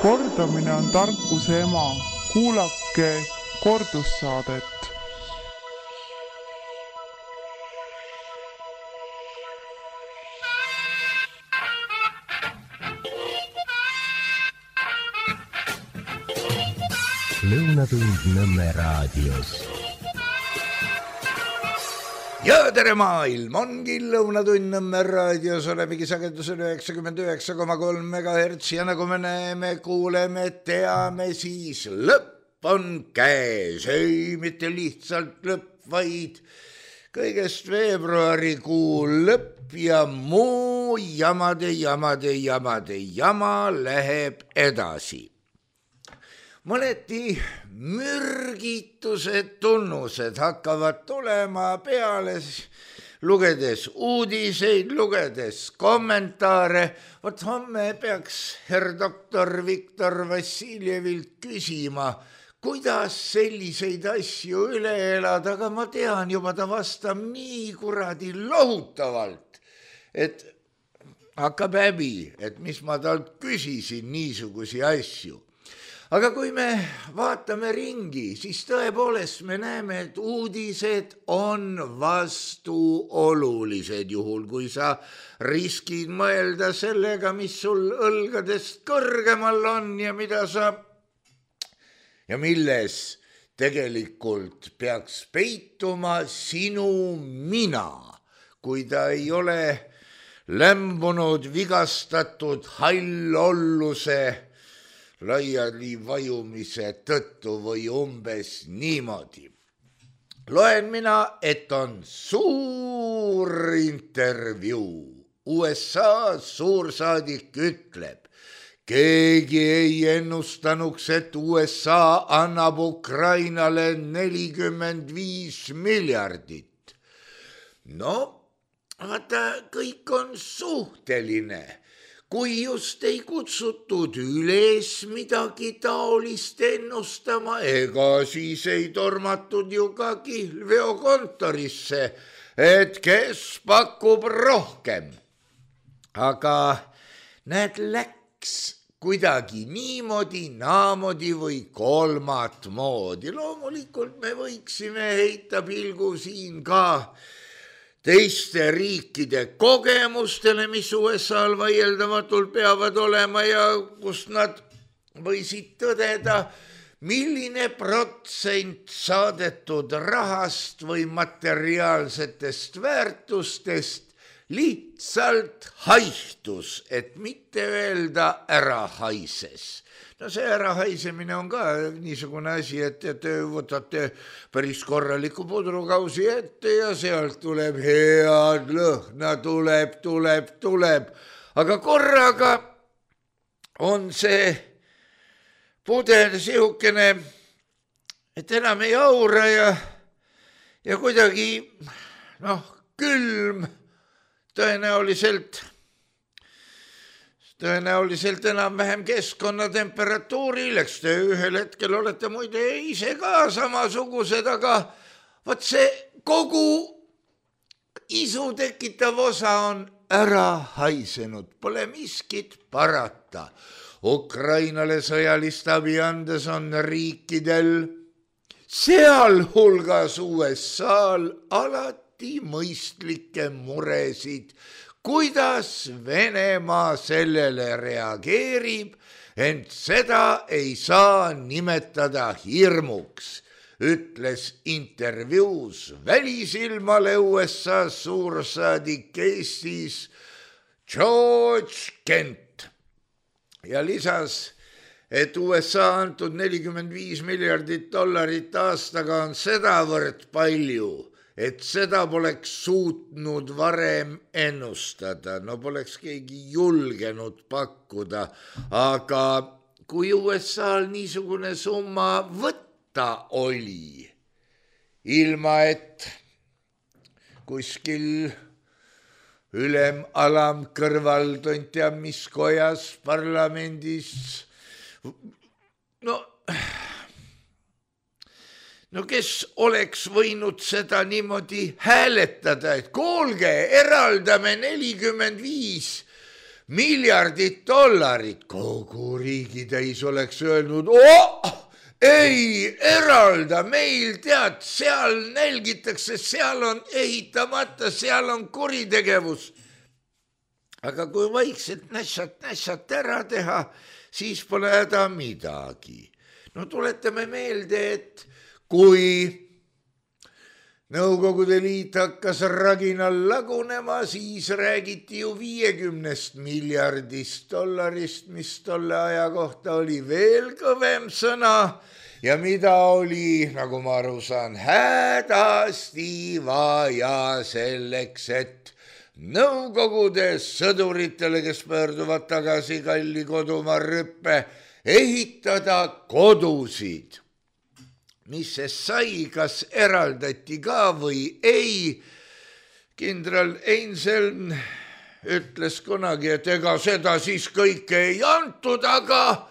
Kordamine on tarkuse ema. Kuulake kordussaadet. Lõunatund Nõmme raadios. Ja tere maailm, ongi Lõunatund Nõmme raadios, olemegi sagedusel 99,3 MHz ja nagu me näeme, kuuleme, teame, siis lõpp on käes. Ei, mitte lihtsalt lõpp, vaid kõigest veebruarikuu lõpp ja muu jama läheb edasi. Mõneti mürgitused tunnused hakkavad tulema peale, lugedes uudiseid, lugedes kommentaare. Vot homme peaks herr doktor Viktor Vassiljevilt küsima, kuidas selliseid asju üle elada, aga ma tean juba, ta vastab nii kuradi lohutavalt, et hakkab häbi, et mis ma talt küsisin niisugusi asju. Aga kui me vaatame ringi, siis tõepoolest me näeme, et uudised on vastuolulised, juhul kui sa riskid mõelda sellega, mis sul õlgadest kõrgemal on ja mida sa ja milles tegelikult peaks peituma sinu mina, kui ta ei ole lämbunud, vigastatud hallolluse laiali vajumise tõttu või umbes niimoodi. Loen mina, et on suur intervjuu. USA suursaadik ütleb, keegi ei ennustanuks, et USA annab Ukrainale 45 miljardit. No, vaata, kõik on suhteline. Kui just ei kutsutud üles midagi taolist ennustama, ega siis ei tormatud ju ka kihlveokontorisse, et kes pakub rohkem. Aga näed, läks kuidagi niimoodi, naamodi või kolmat moodi. Loomulikult me võiksime heita pilgu siin ka teiste riikide kogemustele, mis USA-l vaieldamatult peavad olema ja kust nad võisid tõdeda, milline protsent saadetud rahast või materiaalsetest väärtustest lihtsalt haihtus, et mitte öelda ära haises. No see ärahaisemine on ka niisugune asi, et te võtate päris korraliku pudrukausi ette ja sealt tuleb head lõhna, tuleb. Aga korraga on see pudel sihukene, et enam ei aura ja kuidagi külm tõenäoliselt enam-vähem keskkonnatemperatuuril, eks te ühel hetkel olete muide ise ka samasugused, aga võt see kogu isu tekitav osa on ära haisenud, pole miskit parata. Ukrainale sõjalist abi andes on riikidel, sealhulgas USA-l, alati mõistlikke muresid, kuidas Venemaa sellele reageerib, ent seda ei saa nimetada hirmuks, ütles intervjuus Välisilmale USA suursaadik Eestis George Kent ja lisas, et USA antud 45 miljardit dollarit aastaga on sedavõrd palju, et seda poleks suutnud varem ennustada, no poleks keegi julgenud pakkuda, aga kui USA-l niisugune summa võtta oli, ilma et kuskil ülem-alam kõrval tontia mis kojas parlamendis, no kes oleks võinud seda niimoodi hääletada, et kuulge, eraldame 45 miljardit dollarit. Kogu riigitäis oleks öelnud, ei eralda, meil tead, seal nälgitakse, seal on ehitamata, seal on kuritegevus. Aga kui vaikselt nässat ära teha, siis pole häda midagi. No tuletame meelde, et kui Nõukogude Liit hakkas raginal lagunema, siis räägiti ju 50 miljardist dollarist, mis tolle aja kohta oli veel kõvem sõna ja mida oli, nagu ma aru saan, hädasti vaja selleks, et Nõukogude sõduritele, kes pöörduvad tagasi kalli kodumaa rüppe, ehitada kodusid. Mis see sai, kas eraldati ka või ei? Kindral Einseln ütles kunagi, et ega seda siis kõike ei antud, aga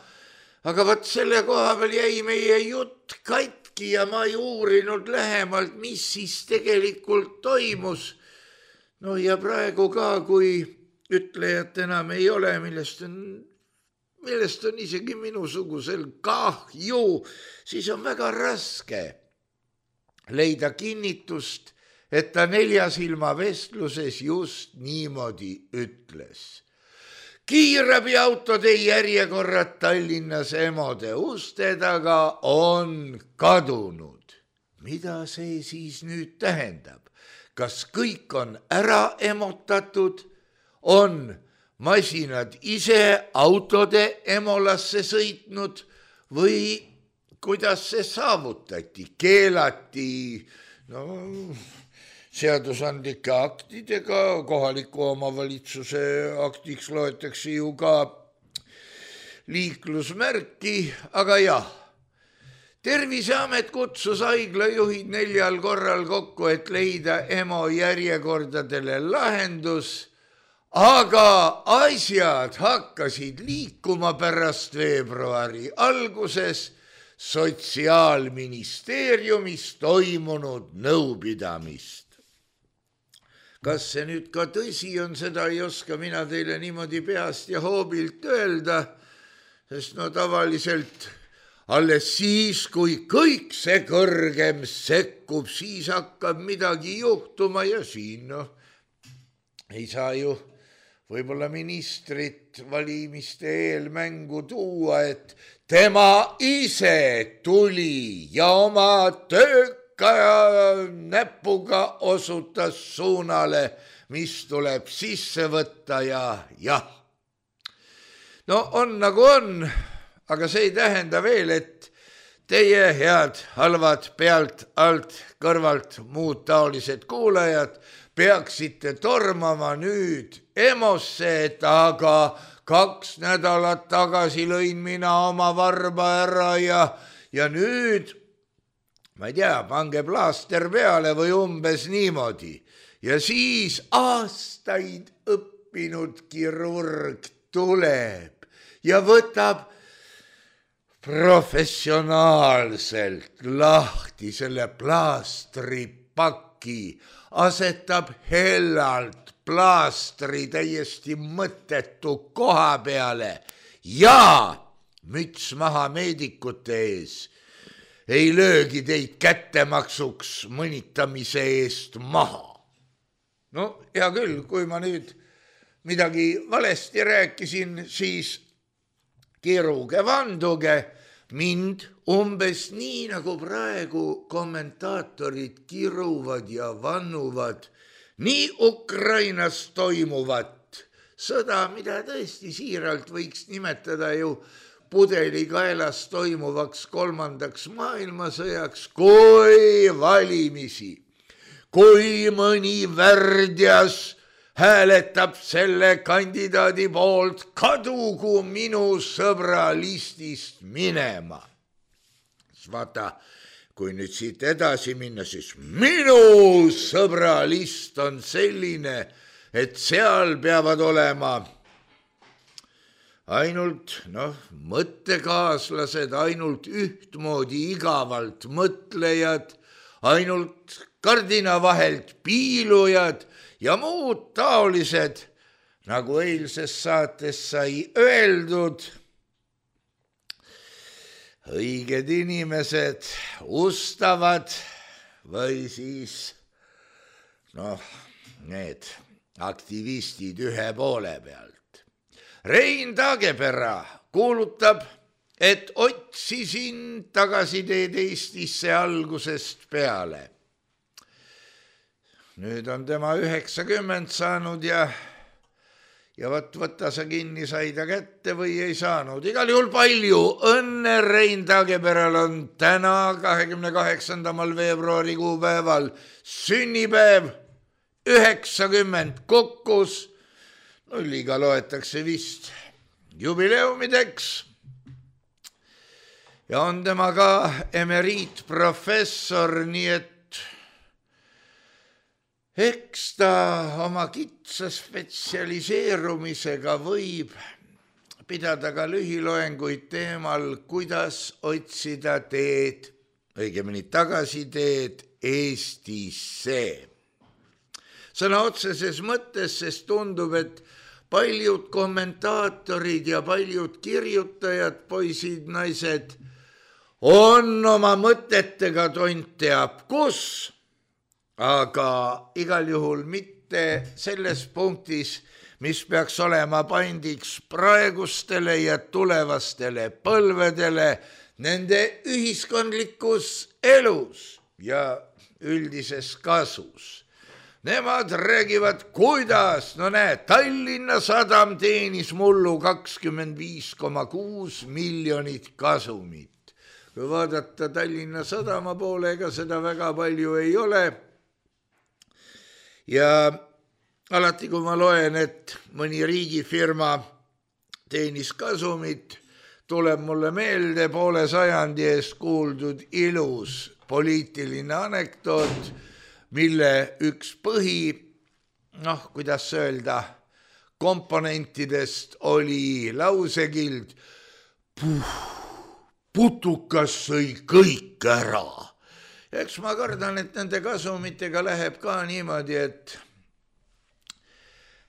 võt selle koha peal jäi meie jutt katki ja ma ei uurinud lähemalt, mis siis tegelikult toimus. No ja praegu ka, kui ütlejat enam ei ole, millest on isegi minusugusel kahju, siis on väga raske leida kinnitust, et ta Neljasilma vestluses just niimoodi ütles. Kiirabiautode järjekorrad Tallinnas Emode uste taga on kadunud. Mida see siis nüüd tähendab? Kas kõik on ära emotatud, on masinad ise autode emolasse sõitnud või kuidas see saavutati? Keelati seadusandlike aktidega, kohaliku omavalitsuse aktiks loetakse ju ka liiklusmärki, aga jah. Terviseamet kutsus haiglajuhid 4 korral kokku, et leida EMO järjekordadele lahendus, aga asjad hakkasid liikuma pärast veebruari alguses Sotsiaalministeeriumis toimunud nõupidamist. Kas see nüüd ka tõsi on, seda ei oska mina teile niimoodi peast ja hoobilt öelda, sest tavaliselt alles siis, kui kõik see kõrgem sekkub, siis hakkab midagi juhtuma ja siin ei saa ju võib-olla ministrit valimiste eel mängu tuua, et tema ise tuli ja oma tööka näpuga osutas suunale, mis tuleb sisse võtta ja jah. No on nagu on, aga see ei tähenda veel, et teie head halvad pealt, alt, kõrvalt, muud taolised kuulajad peaksite tormama nüüd EMO-sse, et aga 2 nädalat tagasi lõin mina oma varba ära ja nüüd, ma ei tea, pange plaaster peale või umbes niimoodi. Ja siis aastaid õppinud kirurg tuleb ja võtab professionaalselt lahti selle plaastripaki, asetab hellalt plaastri täiesti mõttetu koha peale ja müts maha meedikute ees. Ei löögi teid kättemaksuks mõnitamise eest maha. No hea küll, kui ma nüüd midagi valesti rääkisin, siis kiruge vanduge mind umbes nii, nagu praegu kommentaatorid kiruvad ja vannuvad nii Ukrainas toimuvat sõda, mida tõesti siiralt võiks nimetada ju pudelikaelas toimuvaks 3. maailmasõjaks, kui valimisi, kui mõni värdjas hääletab selle kandidaadi poolt, kadugu minu sõbra listist minema. Vaata, kui nüüd siit edasi minna, siis minu sõbra list on selline, et seal peavad olema ainult mõttekaaslased, ainult ühtmoodi igavalt mõtlejad, ainult kardina vahelt piilujad ja muud taolised nagu eilses saates sai öeldud, õiged inimesed ustavad või siis need aktivistid ühe poole pealt. Rein Taagepera kuulutab, et otsisin tagasiteed Eestisse algusest peale. Nüüd on tema 90 saanud ja võtta sa kinni, sai ta kätte või ei saanud. Igal juhul palju õnne Rein Taageperal on täna 28. veebruari kuupäeval sünnipäev, 90 kokkus. Nulliga loetakse vist jubileumideks. Ja on tema ka emeriitprofessor, nii et eks ta oma kitsa spetsialiseerumisega võib pidada ka lühiloenguid teemal, kuidas otsida teed, õigemini tagasiteed Eestisse. Sõna otseses mõttes, sest tundub, et paljud kommentaatorid ja paljud kirjutajad, poisid, naised, on oma mõtetega tont teab kus, aga igal juhul mitte selles punktis, mis peaks olema pandiks praegustele ja tulevastele põlvedele nende ühiskondlikus elus ja üldises kasus. Nemad räägivad, kuidas, Tallinna Sadam teenis mullu 25,6 miljonit kasumit. Kui vaadata Tallinna Sadama poole, ega seda väga palju ei ole. Ja alati, kui ma loen, et mõni riigifirma teenis kasumit, tuleb mulle meelde poole sajandi eest kuuldud ilus poliitiline anekdoot, mille üks kuidas öelda, komponentidest oli lausekild putukas sõi kõik ära. Ja eks ma kardan, et nende kasumitega läheb ka niimoodi,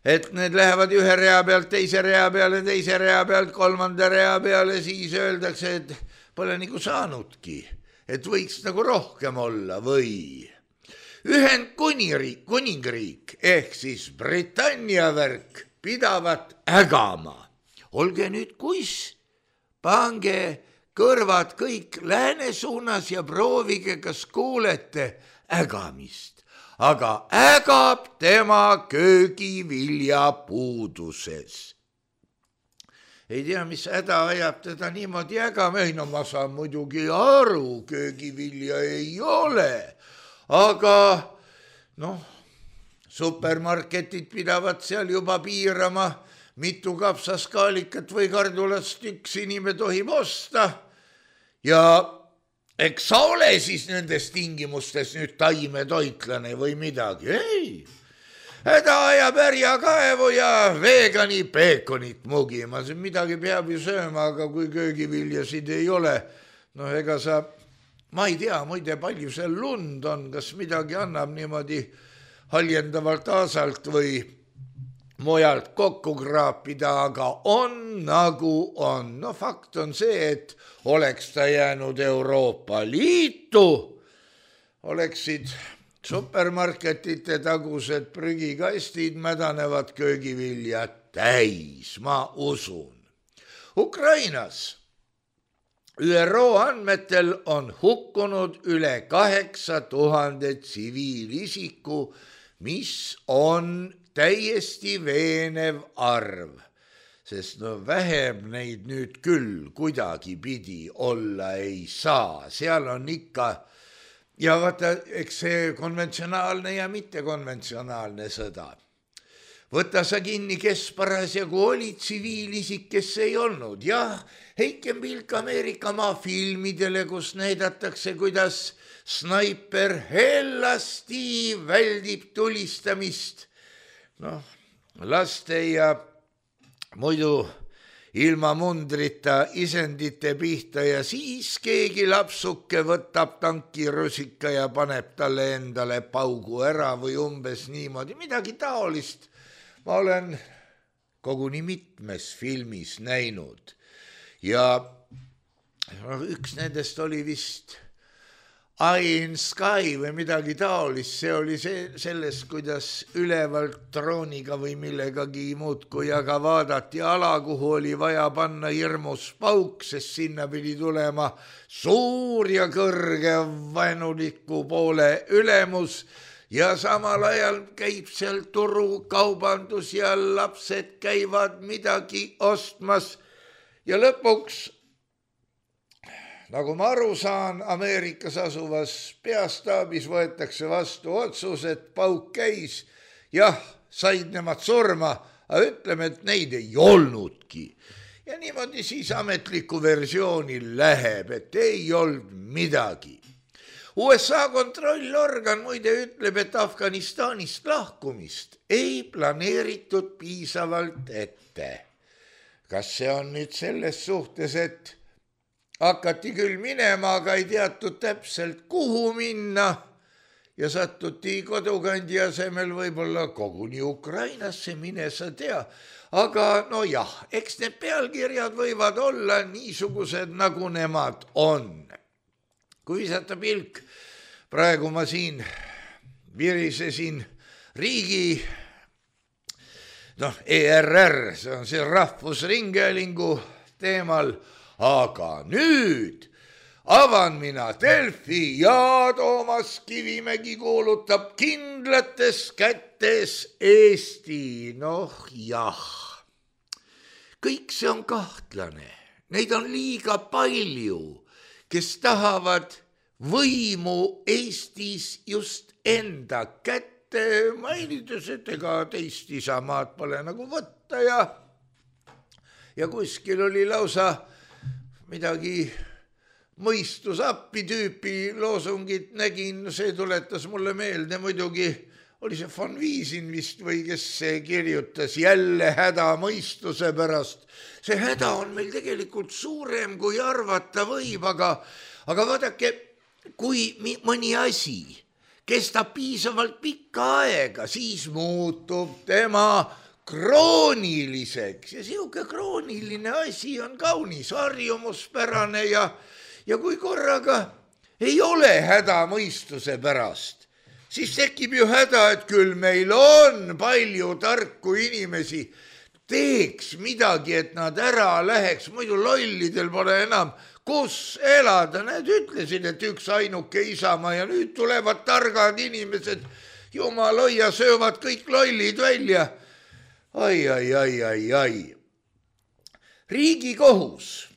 et need lähevad ühe rea pealt, teise rea peale, teise rea pealt, kolmanda rea peale, siis öeldakse, et pole nagu saanudki, et võiks nagu rohkem olla või Ühendkuningriik ehk siis Britannia värk pidavat ägama. Olge nüüd kuis, pange kõrvad kõik lääne suunas ja proovige, kas kuulete ägamist. Aga ägab tema köögivilja puuduses. Ei tea, mis häda ajab teda niimoodi ägama. Ei, ma saan muidugi aru, köögivilja ei ole. Aga supermarketid pidavad seal juba piirama, mitu kapsaskaalikat või kardulast üks inimene tohib osta. Ja eks sa ole siis nendes tingimustes nüüd taimetoitlane või midagi? Ei, häda ajab härjakaevu ja veegani peekonit mugima. Midagi peab ju sööma, aga kui köögiviljasid ei ole, ega ma ei tea, muide palju seal lund on, kas midagi annab niimoodi haljendavalt aasalt või mujalt kokku kraapida, aga on nagu on. Fakt on see, et oleks ta jäänud Euroopa Liitu, oleksid supermarketite tagused prügikastid mädanevad köögivilja täis, ma usun. Ukrainas ÜRO andmetel on hukkunud üle 8000 tsiviilisiku, mis on täiesti veenev arv, sest vähem neid nüüd küll kuidagi pidi olla ei saa. Seal on ikka, ja vaata, eks see konventsionaalne ja mittekonventsionaalne sõda. Võta sa kinni, kes parasjagu oli tsiviilisik, kes ei olnud. Jah, heike pilk Ameerika maafilmidele, kus näidatakse, kuidas snaiper hellasti väldib tulistamist. Laste ja muidu ilma mundrita isendite pihta ja siis keegi lapsuke võtab tankirusika ja paneb talle endale paugu ära või umbes niimoodi, midagi taolist. Ma olen koguni mitmes filmis näinud ja üks nendest oli vist Eye in Sky või midagi taolist, see oli sellest, kuidas ülevalt drooniga või millegagi muudkui, aga vaadati ala, kuhu oli vaja panna hirmus pauk, sest sinna pidi tulema suur ja kõrge vaenuliku poole ülemus ja samal ajal käib seal turukaubandus ja lapsed käivad midagi ostmas ja lõpuks nagu ma aru saan, Ameerikas asuvas peastaabis võetakse vastu otsus, et pauk käis. Jah, said nemad surma, aga ütleme, et neid ei olnudki. Ja niimoodi siis ametliku versiooni läheb, et ei olnud midagi. USA kontrollorgan muide ütleb, et Afganistanist lahkumist ei planeeritud piisavalt ette. Kas see on nüüd selles suhtes, et hakati küll minema, aga ei teatud täpselt, kuhu minna ja sattuti kodukandi asemel võib-olla koguni Ukrainasse, mine sa tea. Aga no jah, eks need pealkirjad võivad olla niisugused, nagu nemad on. Kui visata pilk, praegu ma siin virisesin riigi, ERR, see on see Rahvusringhäälingu teemal, aga nüüd avan mina Delfi ja Toomas Kivimägi kuulutab kindlates kätes Eesti. Noh jah, kõik see on kahtlane. Neid on liiga palju, kes tahavad võimu Eestis just enda kätte, mainides, et ega teist isamaad pole nagu võtta ja kuskil oli lausa midagi mõistusappi tüüpi loosungit nägin, see tuletas mulle meelde, muidugi oli see von Wiesin vist või kes see kirjutas jälle häda mõistuse pärast. See häda on meil tegelikult suurem, kui arvata võib, aga vaadake, kui mõni asi kestab piisavalt pikka aega, siis muutub tema krooniliseks ja siuke krooniline asi on kaunis harjumuspärane ja kui korraga ei ole häda mõistuse pärast, siis tekib ju häda, et küll meil on palju tarku inimesi, teeks midagi, et nad ära läheks, muidu lollidel pole enam kus elada. Need ütlesid, et üks ainuke Isamaa ja nüüd tulevad targad inimesed, jumal hoia, söövad kõik lollid välja. Ai. Riigikohus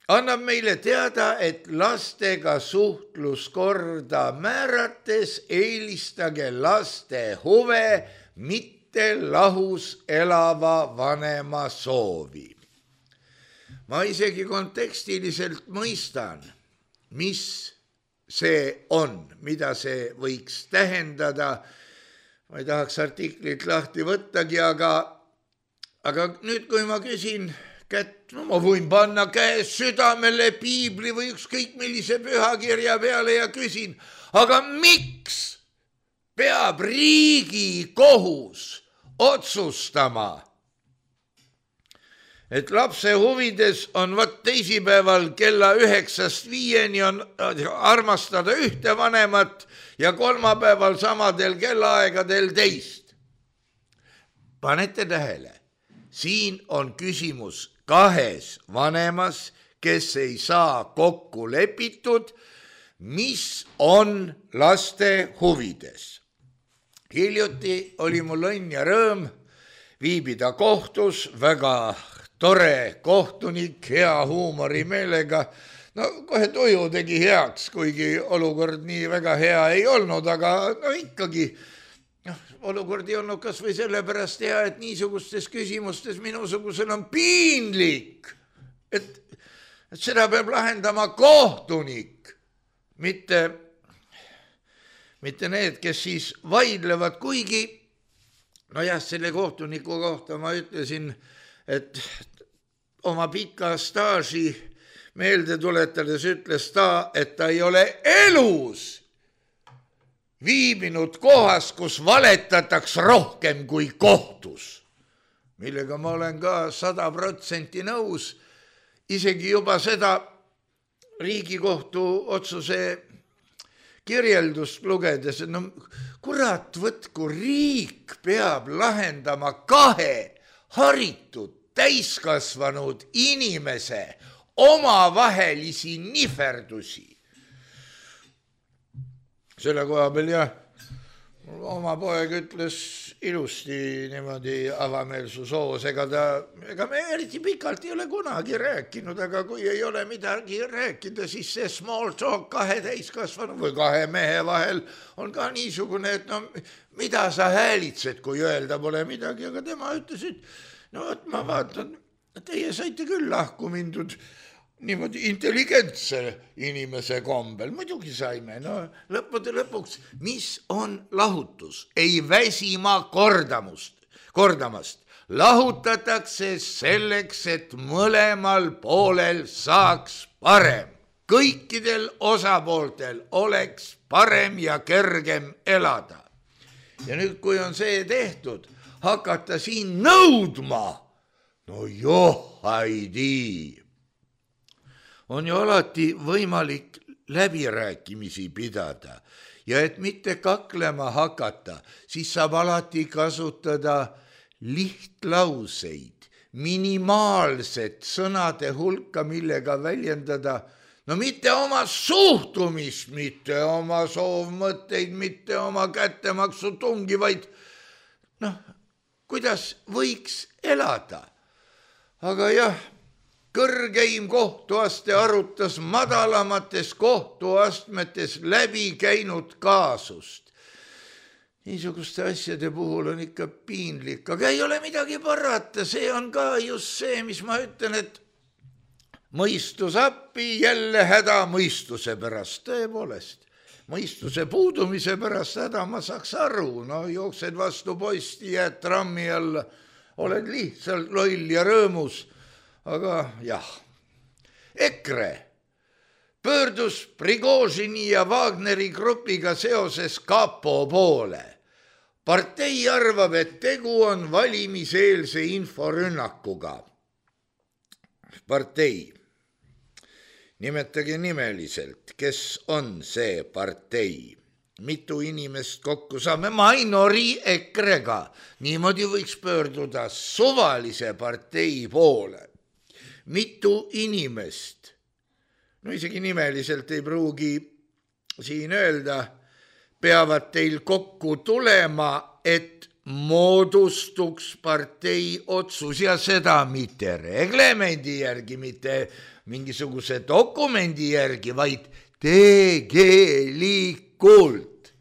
annab meile teada, et lastega suhtluskorda määrates eelistage laste huve, mitte lahus elava vanema soovi. Ma isegi kontekstiliselt mõistan, mis see on, mida see võiks tähendada. Ma ei tahaks artiklit lahti võttagi, aga nüüd, kui ma küsin kätt, ma võin panna käes südamele piibli või ükskõik millise pühakirja peale ja küsin, aga miks peab Riigikohus otsustama, et lapse huvides on teisipäeval kella 9-5 on armastada ühte vanemat ja kolmapäeval samadel kellaaegadel teist. Panete tähele, siin on küsimus kahes vanemas, kes ei saa kokku lepitud, mis on laste huvides. Hiljuti oli mul õnn ja rõõm viibida kohtus, väga tore kohtunik, hea huumorimeelega. No kohe tuju tegi heaks, kuigi olukord nii väga hea ei olnud, aga ikkagi olukord ei olnud kas või sellepärast hea, et niisugustes küsimustes minusugusel on piinlik, et seda peab lahendama kohtunik, mitte need, kes siis vaidlevad, kuigi selle kohtuniku kohta ma ütlesin, et oma pika staaži meelde tuletades ütles ta, et ta ei ole elus viibinud kohas, kus valetataks rohkem kui kohtus. millega ma olen ka 100% nõus, isegi juba seda Riigikohtu otsuse kirjeldust lugedes, no kurat võtku, riik peab lahendama 2 haritud täiskasvanud inimese omavahelisi niferdusi. Selle koha peal jah, oma poeg ütles ilusti niimoodi avameelsus hoos, ega me eriti pikalt ei ole kunagi rääkinud, aga kui ei ole midagi rääkida, siis see small talk 2 täiskasvanu või 2 mehe vahel on ka niisugune, et no mida sa häälitsed, kui öelda pole midagi, aga tema ütles, et no võt, ma vaatan, teie saite küll lahku mindud niimoodi intelligentse inimese kombel, muidugi saime, no lõppude lõpuks, mis on lahutus, ei väsima kordamast, lahutatakse selleks, et mõlemal poolel saaks parem, kõikidel osapooltel oleks parem ja kergem elada. Ja nüüd, kui on see tehtud, hakata siin nõudma, no johaidii. On ju alati võimalik läbirääkimisi pidada ja et mitte kaklema hakata, siis saab alati kasutada lihtlauseid, minimaalset sõnade hulka, millega väljendada, no mitte oma suhtumist, mitte oma soovmõtteid, mitte oma kättemaksu tungi, vaid noh, kuidas võiks elada. Aga jah, kõrgeim kohtuaste arutas madalamates kohtuastmetes läbi käinud kaasust. Niisuguste asjade puhul on ikka piinlik, aga ei ole midagi parata, see on ka just see, mis ma ütlen, et mõistus appi, jälle häda mõistuse pärast, tõepoolest. Mõistuse puudumise pärast häda ma saaks aru, no jooksed vastu posti, jääd trammi alla, oled lihtsalt loll ja rõõmus. Aga jah, EKRE pöördus Prigožini ja Wagneri grupiga seoses kapo poole. Partei arvab, et tegu on valimiseelse inforünnakuga. Partei. Nimetage nimeliselt, kes on see partei. Mitu inimest kokku saame, Mainori EKRE-ga. Niimoodi võiks pöörduda suvalise partei poole. Mitu inimest, no isegi nimeliselt ei pruugi siin öelda, peavad teil kokku tulema, et moodustuks partei otsus ja seda mitte reglemendi järgi, mitte mingisuguse dokumendi järgi, vaid tegelikult.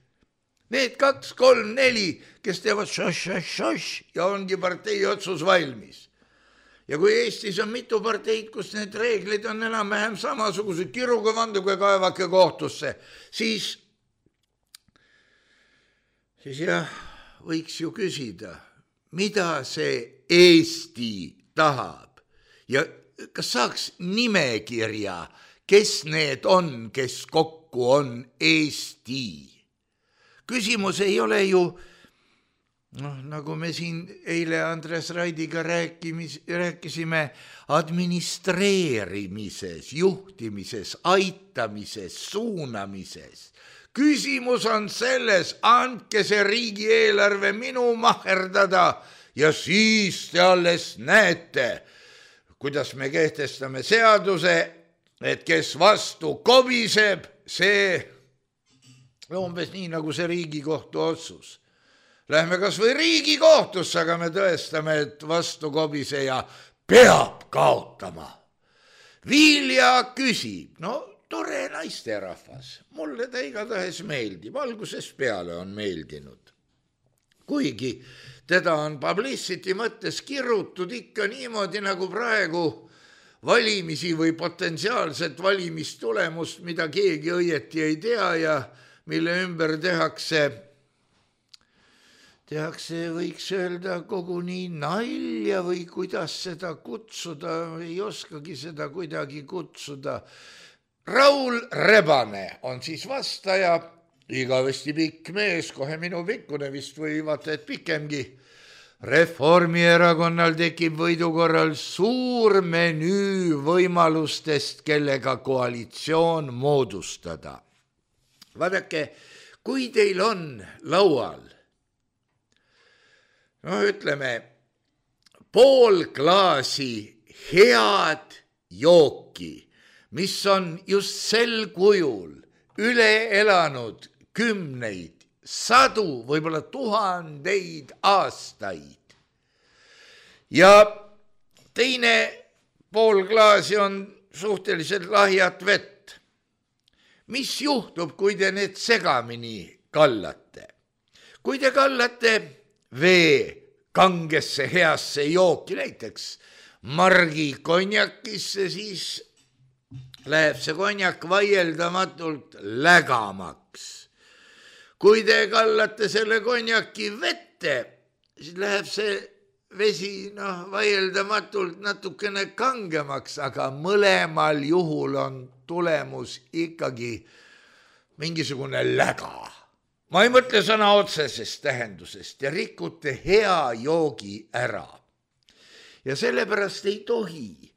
Need 2, 3, 4, kes teevad šoš ja ongi partei otsus valmis. Ja kui Eestis on mitu parteid, kus need reeglid on enam-vähem samasugused, kiruga vanduga kaevake kohtusse, siis jah, võiks ju küsida, mida see Eesti tahab ja kas saaks nimekirja, kes need on, kes kokku on Eesti. Küsimus ei ole ju nagu me siin eile Andres Raidiga rääkisime administreerimises, juhtimises, aitamises, suunamises. Küsimus on selles, andke see riigieelarve minu maherdada ja siis te alles näete, kuidas me kehtestame seaduse, et kes vastu kobiseb, see umbes nii nagu see Riigikohtu otsus. Lähme kas või Riigikohtusse, aga me tõestame, et vastu kobiseja peab kaotama. Vilja küsib, no tore naisterahvas, mulle ta igatahes meeldib, algusest peale on meeldinud. Kuigi teda on publicity mõttes kirutud ikka niimoodi nagu praegu valimisi või potentsiaalset valimistulemust, mida keegi õieti ei tea ja mille ümber tehakse, võiks öelda koguni nalja või kuidas seda kutsuda, ei oskagi seda kuidagi kutsuda. Raul Rebane on siis vastaja, igavesti pikk mees, kohe minu pikkune vist või vaata, et pikemgi. Reformierakonnal tekib võidu korral suur menüü võimalustest, kellega koalitsioon moodustada. Vaadake, kui teil on laual, ütleme, pool klaasi head jooki, mis on just sel kujul üle elanud kümneid, sadu, võib-olla tuhandeid aastaid. Ja teine pool klaasi on suhteliselt lahjat vett. Mis juhtub, kui te need segamini kallate? Kui te kallate vee kangesse heasse jooki, näiteks margi konjakisse, siis läheb see konjak vaieldamatult lägamaks. Kui te kallate selle konjaki vette, siis läheb see vesi vaieldamatult natukene kangemaks, aga mõlemal juhul on tulemus ikkagi mingisugune läga. Ma ei mõtle sõna otsesest tähendusest, te rikute hea joogi ära. Ja sellepärast ei tohi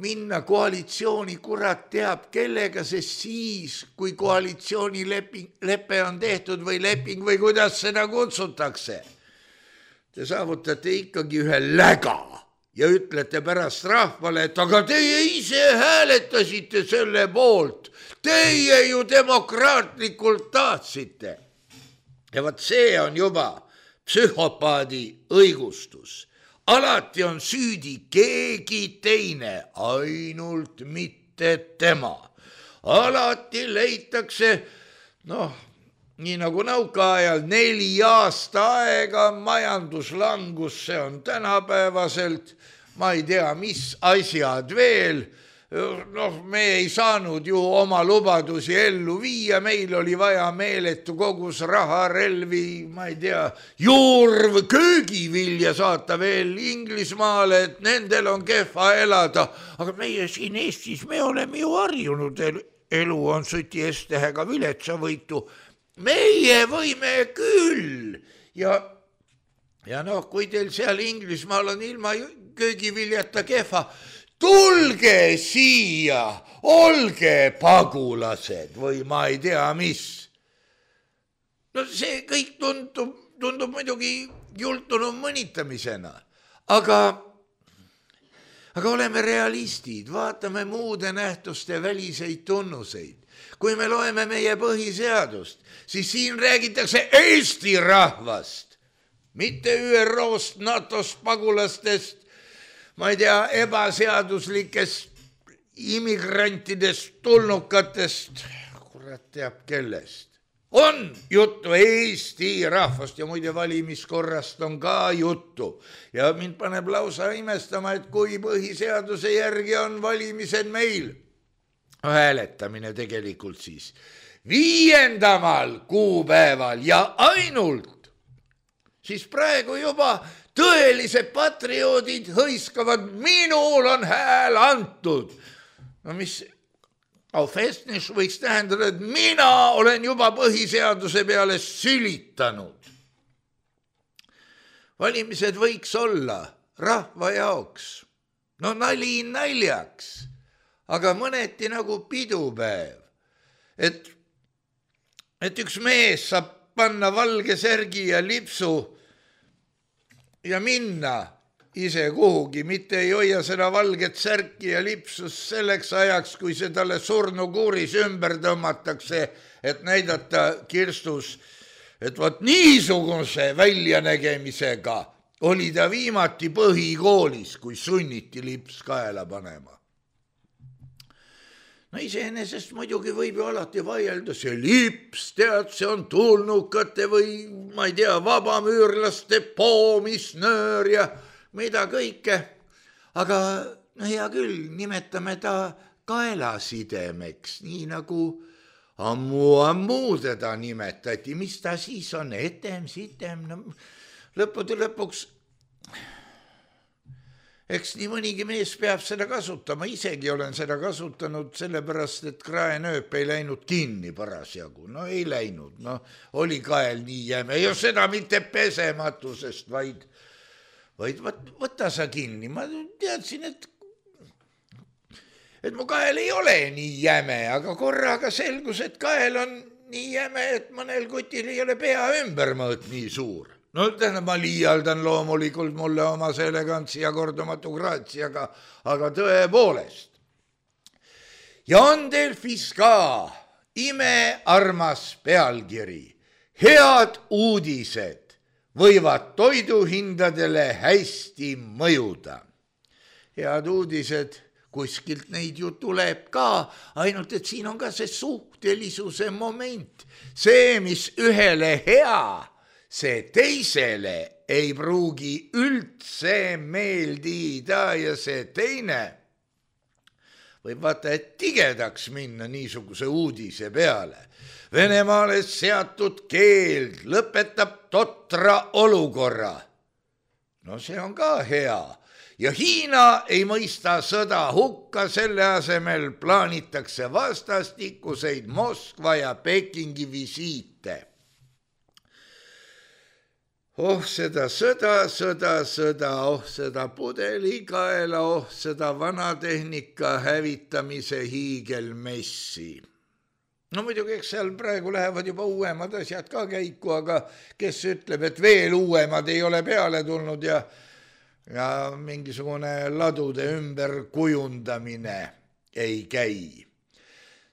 minna koalitsiooni kurat teab kellega, sest siis, kui koalitsioonilepe on tehtud või leping või kuidas seda kutsutakse, te saavutate ikkagi ühe läga ja ütlete pärast rahvale, et aga teie ise hääletasite selle poolt, teie ju demokraatlikult tahtsite. Ja vaat see on juba psühhopaadi õigustus. Alati on süüdi keegi teine, ainult mitte tema. Alati leitakse, nii nagu nõukaajal 4 aasta aega majanduslangus, see on tänapäevaselt, ma ei tea, mis asjad veel. Me ei saanud ju oma lubadusi ellu viia, meil oli vaja meeletu kogus raha, relvi, ma ei tea, juurv, köögivilja saata veel Inglismaale, et nendel on kehva elada. Aga meie siin Eestis, me oleme ju harjunud, elu on süti S-tähega viletsavõitu. Meie võime küll. Ja kui teil seal Inglismaal on ilma köögiviljata kehva, tulge siia, olge pagulased või ma ei tea mis. See kõik tundub muidugi jultunud mõnitamisena, aga oleme realistid, vaatame muude nähtuste väliseid tunnuseid. Kui me loeme meie põhiseadust, siis siin räägitakse Eesti rahvast, mitte ÜRO-st, NATO-st, pagulastest, ma ei tea, ebaseaduslikest immigrantidest, tulnukatest, kurat teab kellest. On juttu Eesti rahvast ja muide valimiskorrast on ka juttu. Ja mind paneb lausa imestama, et kui põhiseaduse järgi on valimised meil, hääletamine tegelikult siis 5. kuupäeval ja ainult, siis praegu juba tõelised patrioodid hõiskavad, minul on hääl antud. Mis aufestnis võiks tähendada, et mina olen juba põhiseaduse peale sülitanud. Valimised võiks olla rahva jaoks. Nali naljaks, aga mõneti nagu pidupäev. Et üks mees saab panna valge särgi ja lipsu ja minna ise kuhugi, mitte ei hoia seda valget särki ja lipsus selleks ajaks, kui see talle surnukuuris ümber tõmmatakse, et näidata kirstus, et vaat niisuguse väljanägemisega oli ta viimati põhikoolis, kui sunniti lips kaela panema. Iseenesest muidugi võib ju alati vaielda, see lips, tead, see on tulnukate või, ma ei tea, vabamüürlaste poomisnöör ja mida kõike. Aga hea küll, nimetame ta kaelasidemeks, nii nagu ammu teda nimetati. Mis ta siis on? Etem, sitem, lõppude lõpuks eks nii mõnigi mees peab seda kasutama, isegi olen seda kasutanud sellepärast, et kraenööp ei läinud kinni parasjagu. No ei läinud, no oli kael nii jäme ja seda mitte pesematusest, vaid võta sa kinni. Ma teadsin, et mu kael ei ole nii jäme, aga korraga selgus, et kael on nii jäme, et mõnel kutil ei ole pea ümbermõõt nii suur. No tähendab, ma liialdan loomulikult mulle oma see elegantsi ja kordumatu graatsi, aga tõepoolest. Ja on Delfis ka imearmas pealkiri. Head uudised võivad toiduhindadele hästi mõjuda. Head uudised, kuskilt neid ju tuleb ka, ainult et siin on ka see suhtelisuse moment. See, mis ühele hea, see teisele ei pruugi üldse meeldida ja see teine võib vaata, et tigedaks minna niisuguse uudise peale. Venemaale seatud keeld lõpetab totra olukorra. No see on ka hea. Ja Hiina ei mõista sõda hukka, selle asemel plaanitakse vastastikuseid Moskva ja Pekingi visiite. Oh seda sõda, oh seda pudelikaela, oh seda vanatehnika hävitamise hiigelmessi. No muidugi, eks seal praegu lähevad juba uuemad asjad ka käiku, aga kes ütleb, et veel uuemad ei ole peale tulnud ja mingisugune ladude ümberkujundamine ei käi.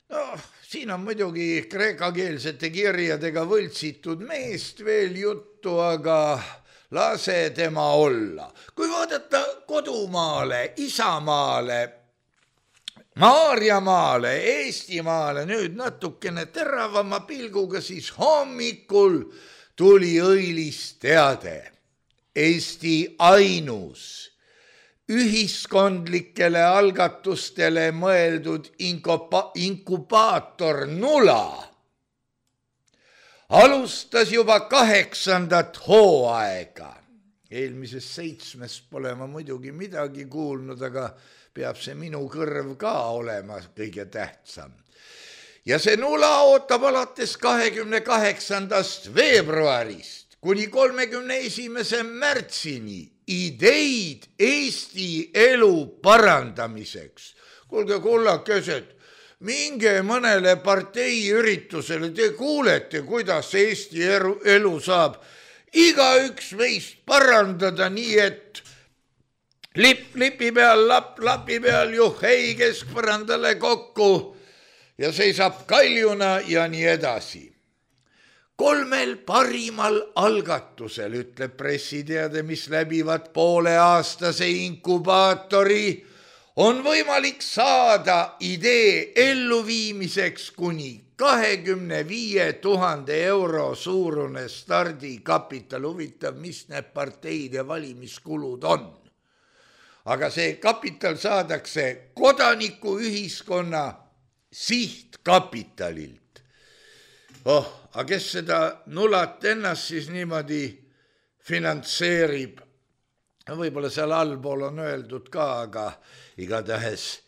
No, siin on muidugi kreekakeelsete kirjadega võltsitud meest veel juttu, aga lase tema olla. Kui vaadata kodumaale, isamaale, Maarjamaale, Eestimaale nüüd natukene teravama pilguga, siis hommikul tuli õilis teade. Eesti ainus ühiskondlikele algatustele mõeldud inkubaator Nula alustas juba 8. hooaega. Eelmisest 7 pole ma muidugi midagi kuulnud, aga peab see minu kõrv ka olema kõige tähtsam. Ja see Nula ootab alates 28. veebruarist kuni 31. märtsini ideid Eesti elu parandamiseks. Kuulge, kullakesed, minge mõnele parteiüritusele, te kuulete, kuidas Eesti elu saab igaüks meist parandada nii, et lipi peal, lapi peal, juhhei keskpõrandale kokku ja seisab kaljuna ja nii edasi. 3 parimal algatusel, ütleb pressiteade, mis läbivad pooleaastase inkubaatori, on võimalik saada idee elluviimiseks kuni 25 000 euro suurune stardikapital. Huvitav, mis need parteide valimiskulud on. Aga see kapital saadakse kodanikuühiskonna sihtkapitalilt. Aga kes seda Nulat ennast siis niimoodi finantseerib? Võib-olla seal allpool on öeldud ka, aga igatahes,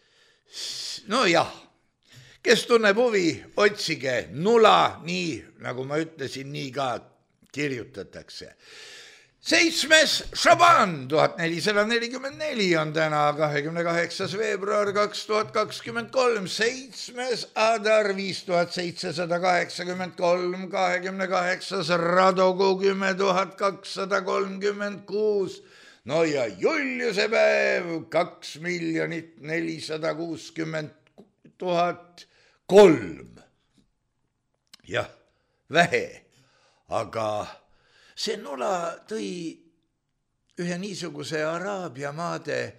no jah, kes tunneb huvi, otsige Nula, nii nagu ma ütlesin, nii ka kirjutatakse. 7. Šaban 1444 on täna 28. veebruar 2023, 7. Adar 5783, 28. Radogu 10 236, no ja Juliuse päev 2 460 003. Jah, vähe, aga see Nula tõi ühe niisuguse Araabia maade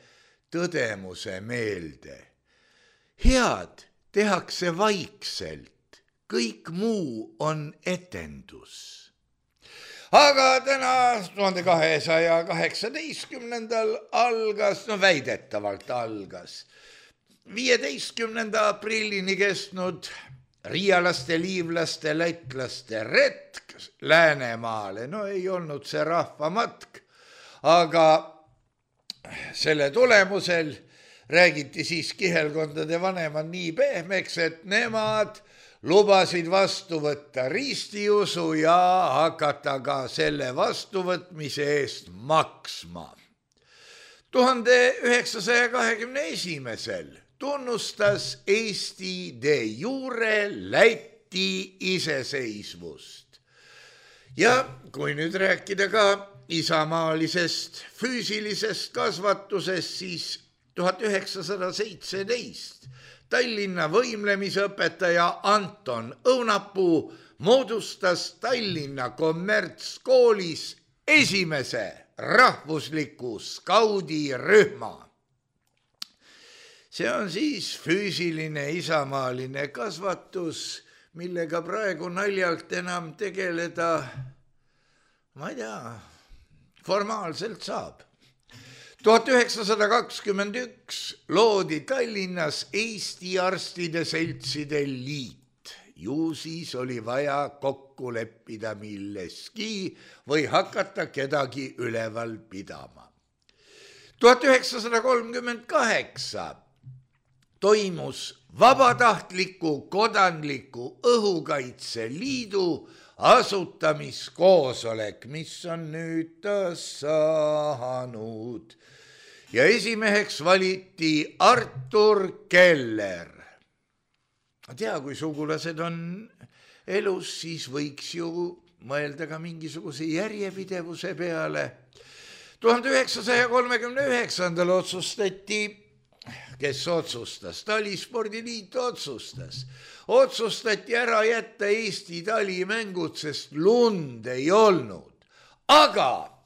tõdemuse meelde. Head tehakse vaikselt, kõik muu on etendus. Aga täna 1218. algas, no väidetavalt algas, 15. aprillini kestnud riialaste, liivlaste, lätlaste retk Läänemaale. No ei olnud see rahvamatk, aga selle tulemusel räägiti siis kihelkondade vanemad nii pehmeks, et nemad lubasid vastu võtta ristiusu ja hakata ka selle vastuvõtmise eest maksma. 1921. tunnustas Eesti de jure Läti iseseisvust. Ja kui nüüd rääkida ka isamaalisest füüsilisest kasvatusest, siis 1917 Tallinna võimlemisõpetaja Anton Õunapuu moodustas Tallinna kommertskoolis esimese rahvusliku skaudirühma. See on siis füüsiline isamaaline kasvatus, millega praegu naljalt enam tegeleda, ma ei tea, formaalselt saab. 1921 loodi Tallinnas Eesti Arstide Seltside Liit. Ju siis oli vaja kokku leppida milleski või hakata kedagi üleval pidama. 1938 toimus vabatahtliku kodanliku õhukaitseliidu asutamiskoosolek, mis on nüüd taas saanud. Ja esimeheks valiti Artur Keller. Tea, kui sugulased on elus, siis võiks ju mõelda ka mingisuguse järjepidevuse peale. 1939. otsustati, kes otsustas, Talispordiliit otsustati ära jätta Eesti talimängud, sest lund ei olnud. Aga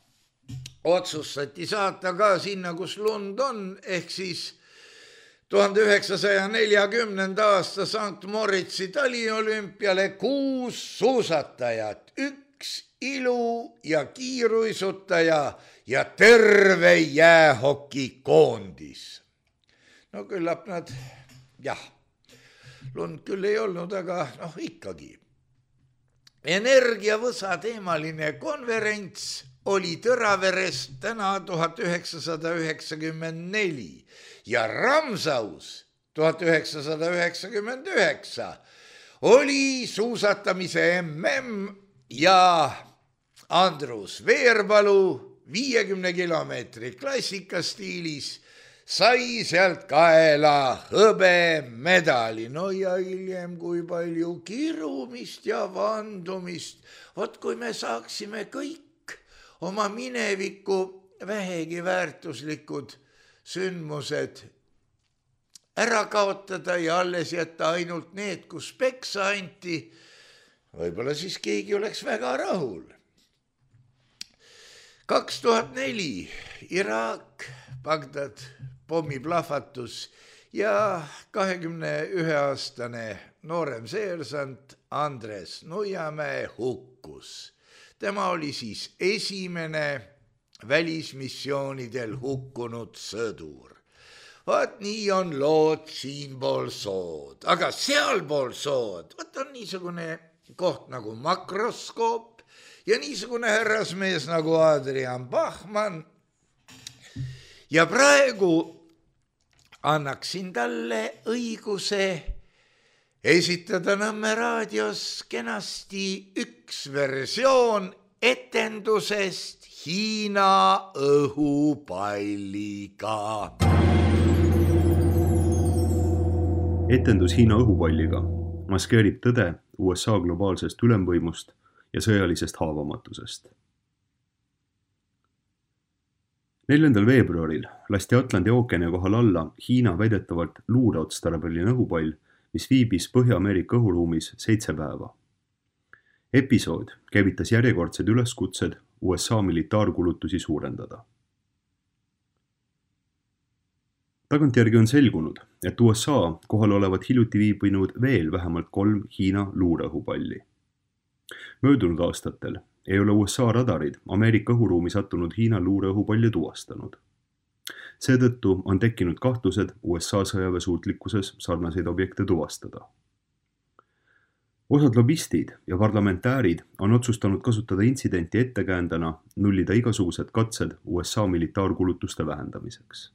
otsustati saata ka sinna, kus lund on, ehk siis 1940. aasta St. Moritzi taliolümpiale 6 suusatajat, 1 ilu- ja kiiruisutaja ja terve jäähokikoondis. No küllap nad, lund küll ei olnud, aga ikkagi. Energiavõsa teemaline konverents oli Tõraveres täna 1994 ja Ramsaus 1999 oli suusatamise MM ja Andrus Veerpalu 50 kilomeetri klassikastiilis sai sealt kaela hõbemedali. No ja hiljem kui palju kirumist ja vandumist. Vot kui me saaksime kõik oma mineviku vähegi väärtuslikud sündmused ära kaotada ja alles jätta ainult need, kus peksa anti, võib-olla siis keegi oleks väga rahul. 2004 Iraak, Bagdad, pommiplahvatus ja 21-aastane noorem seersant Andres Nuiamäe hukkus. Tema oli siis esimene välismissioonidel hukkunud sõdur. Vaat nii on lood siinpool sood, aga sealpool sood, vaat on niisugune koht nagu makroskoop ja niisugune härrasmees nagu Adrian Bachmann. Ja praegu annaksin talle õiguse esitada Nõmme raadios kenasti üks versioon etendusest Hiina õhupalliga. Etendus Hiina õhupalliga maskeerib tõde USA globaalsest ülemvõimust ja sõjalisest haavamatusest. 4. veebruaril lasti Atlandi ookeani kohal alla Hiina väidetavalt luureotstarbeline õhupall, mis viibis Põhja-Ameerika õhuruumis 7 päeva. Episood käivitas järjekordsed üleskutsed USA militaarkulutusi suurendada. Tagantjärgi on selgunud, et USA kohal olevat hiljuti viibinud veel vähemalt 3 Hiina luureõhupalli. Möödunud aastatel ei ole USA radarid Ameerika õhuruumi sattunud Hiina luureõhupalli tuvastanud. Seetõttu on tekkinud kahtlused USA sõjaväesuutlikkuses sarnaseid objekte tuvastada. Osad lobistid ja parlamentäärid on otsustanud kasutada intsidenti ettekäändena nullida igasugused katsed USA militaarkulutuste vähendamiseks.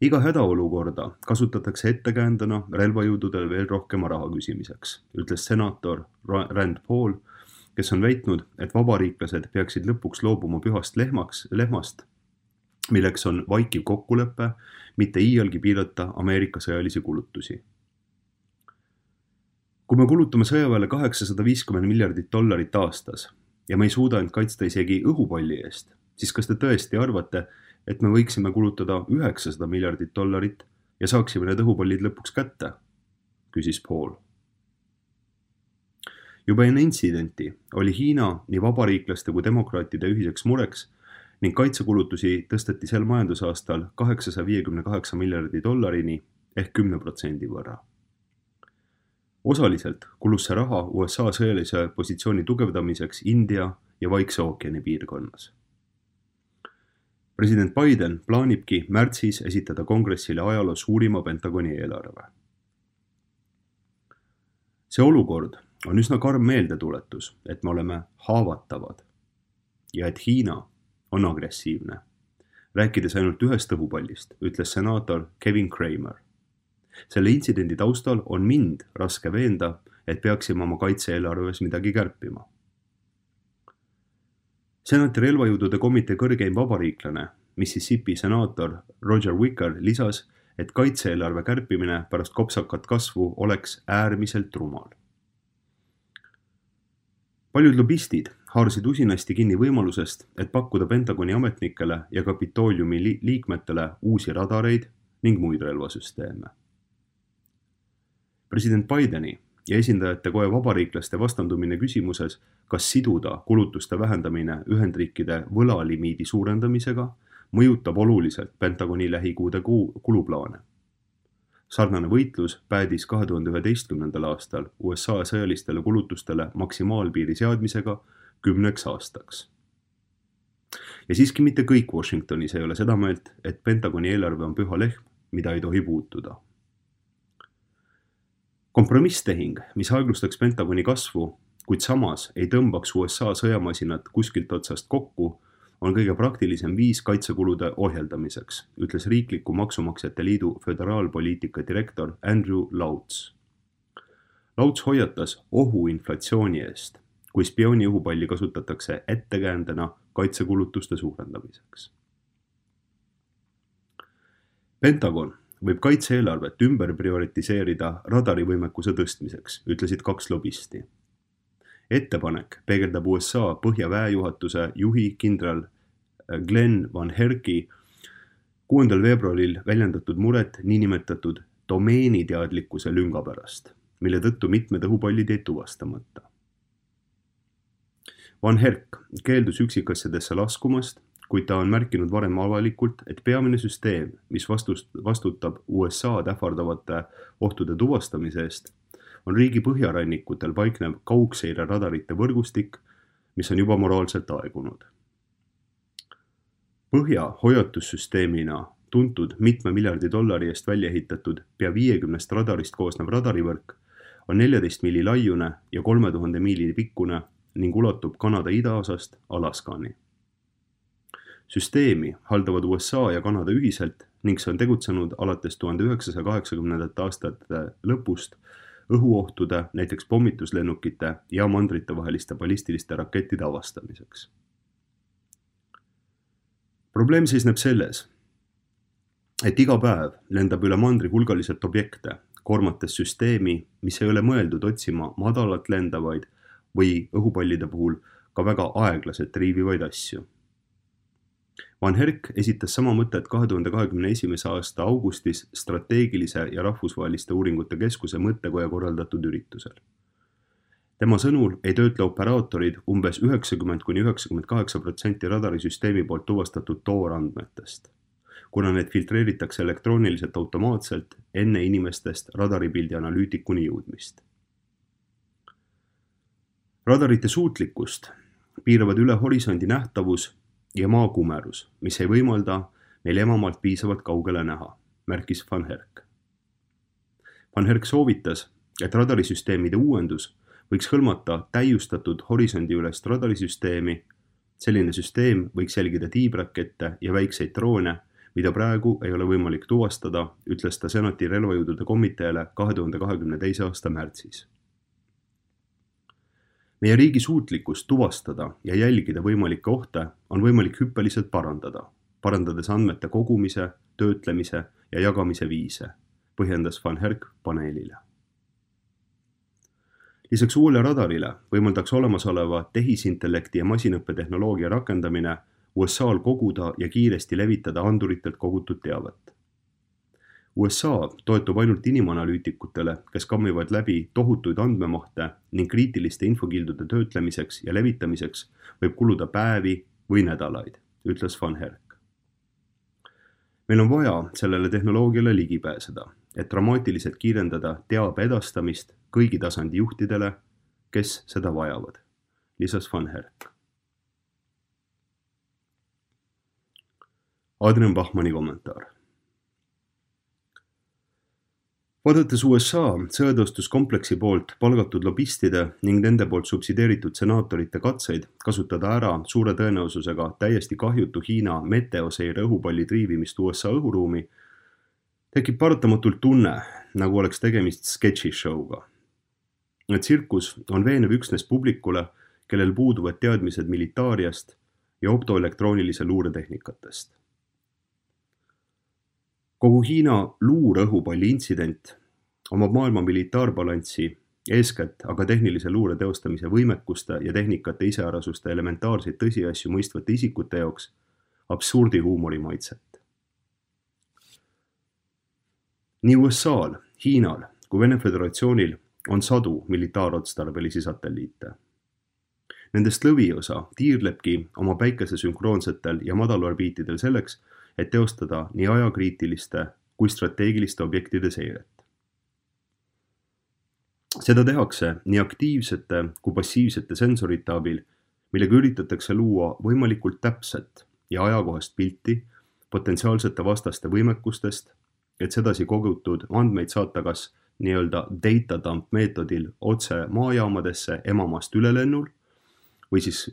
Iga hädaolukorda kasutatakse ettekäändena relvajõududel veel rohkema raha küsimiseks, ütles senaator Rand Paul, kes on väitnud, et vabariiklased peaksid lõpuks loobuma pühast lehmast, milleks on vaikiv kokkulepe, mitte iialgi piirata Ameerika sõjalisi kulutusi. Kui me kulutame sõjaväele $850 miljardit aastas ja me ei suuda end kaitsta isegi õhupalli eest, siis kas te tõesti arvate, et me võiksime kulutada $900 miljardit ja saaksime need õhupallid lõpuks kätte, küsis Paul. Juba enne intsidenti oli Hiina nii vabariiklaste kui demokraatide ühiseks mureks ning kaitsekulutusi tõsteti sel majandusaastal $858 miljardi ehk 10% võrra. Osaliselt kulus see raha USA sõjalise positsiooni tugevdamiseks India ja Vaikse ookeani piirkonnas. President Biden plaanibki märtsis esitada kongressile ajaloo suurima Pentagoni eelarve. See olukord on üsna karm meeldetuletus, et me oleme haavatavad ja et Hiina on agressiivne. Rääkides ainult ühest õhupallist, ütles senaator Kevin Kramer. Selle intsidendi taustal on mind raske veenda, et peaksime oma kaitse-eelarves midagi kärpima. Senati relvajõudude komitee kõrgeim vabariiklane, Mississippi senaator Roger Wicker lisas, et kaitse-eelarve kärpimine pärast kopsakat kasvu oleks äärmiselt rumal. Paljud lobistid haarsid usinasti kinni võimalusest, et pakkuda Pentagoni ametnikele ja Kapitooliumi liikmetele uusi radareid ning muid relvasüsteeme. President Bideni ja esindajate koja vabariiklaste vastandumine küsimuses, kas siduda kulutuste vähendamine Ühendriikide võlalimiidi suurendamisega, mõjutab oluliselt Pentagoni lähikuude kuluplaane. Sarnane võitlus päädis 2011. aastal USA sõjalistele kulutustele maksimaalpiiri seadmisega 10 aastaks. Ja siiski mitte kõik Washingtonis ei ole seda meelt, et Pentagoni eelarve on püha lehm, mida ei tohi puutuda. Kompromisstehing, mis aeglustaks Pentagoni kasvu, kuid samas ei tõmbaks USA sõjamasinat kuskilt otsast kokku, on kõige praktilisem viis kaitsekulude ohjeldamiseks, ütles Riikliku Maksumaksjate Liidu föderaalpoliitika direktor Andrew Lauts. Lauts hoiatas ohu inflatsiooni eest, kui spiooni õhupalli kasutatakse ettekäändena kaitsekulutuste suurendamiseks. Pentagon võib kaitse-eelarvet ümber prioritiseerida radarivõimekuse tõstmiseks, ütlesid 2 lobisti. Ettepanek peegeldab USA põhjaväejuhatuse juhi kindral Glenn Van Herki 6. veebruaril väljendatud muret niinimetatud domeeniteadlikkuse lünga pärast, mille tõttu mitmed õhupallid jäid tuvastamata. Van Herk keeldus üksikasjadesse laskumast, kuid ta on märkinud varem avalikult, et peamine süsteem, mis vastutab USA-d ähvardavate ohtude tuvastamise eest, on riigi põhjarannikutel paiknev kaugseire radarite võrgustik, mis on juba moraalselt aegunud. Põhja hoiatussüsteemina tuntud mitme miljardi dollari eest välja ehitatud pea 50 radarist koosnev radarivõrk on 14 miili laiune ja 3000 miili pikkune ning ulatub Kanada idaosast Alaskani. Süsteemi haldavad USA ja Kanada ühiselt ning see on tegutsenud alates 1980. aastate lõpust õhuohtude, näiteks pommituslennukite ja mandritevaheliste ballistiliste rakettide avastamiseks. Probleem seisneb selles, et iga päev lendab üle mandri hulgaliselt objekte, koormates süsteemi, mis ei ole mõeldud otsima madalalt lendavaid või õhupallide puhul ka väga aeglaselt riivivaid asju. Van Herk esitas sama mõtet 2021. aasta augustis strateegilise ja rahvusvaheliste uuringute keskuse mõttekoja korraldatud üritusel. Tema sõnul ei töötle operaatorid umbes 90–98% radarisüsteemi poolt tuvastatud toorandmetest, kuna need filtreeritakse elektrooniliselt automaatselt enne inimestest radaripildi analüütikuni jõudmist. Radarite suutlikkust piiravad üle horisondi nähtavus ja maakumerus, mis ei võimalda meil emamaalt piisavalt kaugele näha, märkis Van Herk. Van Herk soovitas, et radarisüsteemide uuendus võiks hõlmata täiustatud horisondi-ülest radarisüsteemi. Selline süsteem võiks jälgida tiibrakette ja väikseid droone, mida praegu ei ole võimalik tuvastada, ütles ta senati relvajõudude komiteele 2022. aasta märtsis. Meie riigi suutlikkust tuvastada ja jälgida võimalikke ohte on võimalik hüppeliselt parandades andmete kogumise, töötlemise ja jagamise viise, põhjendas Van Herk paneelile. Lisaks uuele radarile võimaldaks olemasoleva tehisintellekti ja masinõppetehnoloogia rakendamine USA-l koguda ja kiiresti levitada anduritelt kogutud teavet. USA toetub ainult inimanalüütikutele, kes kammivad läbi tohutuid andmemahte ning kriitiliste infokildude töötlemiseks ja levitamiseks võib kuluda päevi või nädalaid, ütles Van Herk. Meil on vaja sellele tehnoloogiale ligi pääseda, et dramaatiliselt kiirendada teabe edastamist kõigi tasandi juhtidele, kes seda vajavad, lisas Van Herk. Adrian Bachmanni kommentaar. Vaadates USA sõjatõustuskompleksi poolt palgatud lobistide ning nende poolt subsideeritud senaatorite katseid kasutada ära suure tõenäosusega täiesti kahjutu Hiina meteoseire õhupalli triivimist USA õhuruumi, tekib paratamatult tunne, nagu oleks tegemist sketšishowga. Tsirkus on veenev üksnes publikule, kellel puuduvad teadmised militaariast ja optoelektroonilise luuretehnikatest. Kogu Hiina luureõhupalli intsident omab maailma militaarbalanssi, eeskätt aga tehnilise luure teostamise võimekuste ja tehnikate iseärasuste elementaarseid tõsiasju mõistvate isikute jaoks absurdi huumori maitset. Nii USA-l, Hiinal kui Vene Föderatsioonil on sadu militaarotstarbelisi satelliite. Nendest lõviosa tiirlebki oma päikese sünkroonsetel ja madalorbiitidel selleks, et teostada nii ajakriitiliste kui strateegiliste objektide seiret. Seda tehakse nii aktiivsete kui passiivsete sensorite abil, millega üritatakse luua võimalikult täpset ja ajakohast pilti potentsiaalsete vastaste võimekustest, et sedasi kogutud andmeid saata kas nii-öelda data dump meetodil otse maajaamadesse emamaast ülelennul või siis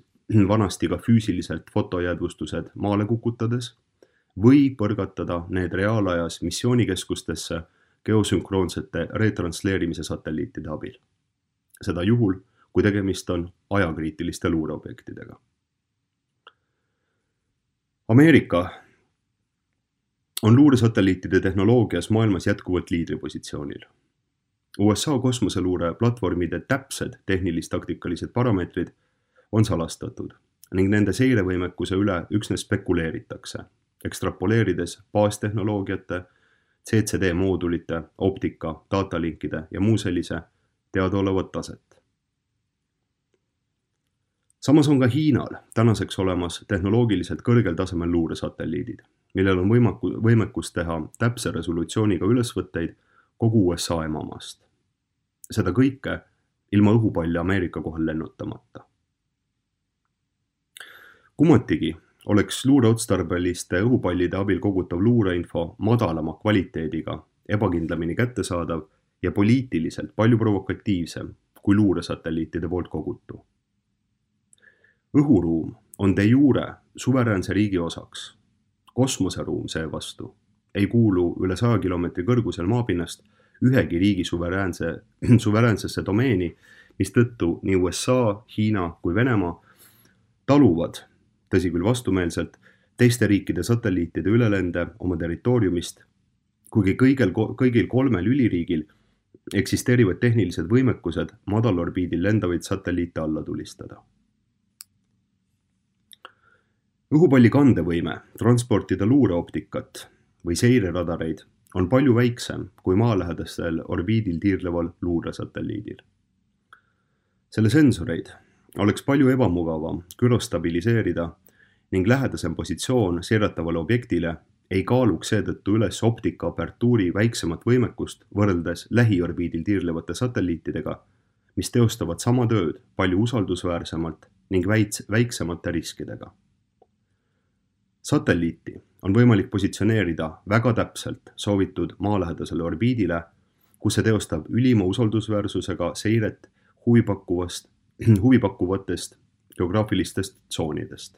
vanasti ka füüsiliselt fotojäädvustused maale kukutades või põrgatada need reaalajas missioonikeskustesse geosünkroonsete retransleerimise satelliitide abil. Seda juhul, kui tegemist on ajakriitiliste luureobjektidega. Ameerika on luuresatelliitide tehnoloogias maailmas jätkuvalt liidripositsioonil. USA kosmoseluure platvormide täpsed tehnilist-taktikalised parameetrid on salastatud ning nende seirevõimekuse üle üksnes spekuleeritakse, ekstrapoleerides baastehnoloogiate, CCD moodulite, optika, datalinkide ja muu sellise teadaolevat taset. Samas on ka Hiinal tänaseks olemas tehnoloogiliselt kõrgel tasemel luuresatelliidid, millel on võimekus teha täpse resolutsiooniga ülesvõtteid kogu USA emamaast. Seda kõike ilma õhupalli Ameerika kohal lennutamata. Kummatigi oleks luureotstarbeliste õhupallide abil kogutav luureinfo madalama kvaliteediga, ebakindlamini kättesaadav ja poliitiliselt palju provokatiivsem kui luuresatelliitide poolt kogutu. Õhuruum on de jure suveräänse riigi osaks. Kosmoseruum seevastu ei kuulu üle 100 kilomeetri kõrgusel maapinnast ühegi riigi suveräänsesse domeeni, mistõttu nii USA, Hiina kui Venemaa taluvad, tõsi küll vastumeelselt, teiste riikide satelliitide ülelende oma territooriumist, kuigi kõigil kolmel üliriigil eksisteerivad tehnilised võimekused madalorbiidil lendavaid satelliite alla tulistada. Õhupalli kandevõime transportida luureoptikat või seireradareid on palju väiksem kui maalähedastel orbiidil tiirleval luuresatelliidil. Selle sensoreid oleks palju ebamugavam gürostabiliseerida ning lähedasem positsioon seiratavale objektile ei kaaluks seetõttu üles optika apertuuri väiksemat võimekust võrreldes lähiorbiidil tiirlevate satelliitidega, mis teostavad sama tööd palju usaldusväärsemalt ning väiksemate riskidega. Satelliiti on võimalik positsioneerida väga täpselt soovitud maalähedasele orbiidile, kus see teostab ülima usaldusväärsusega seiret huvipakkuvatest geograafilistest tsoonidest.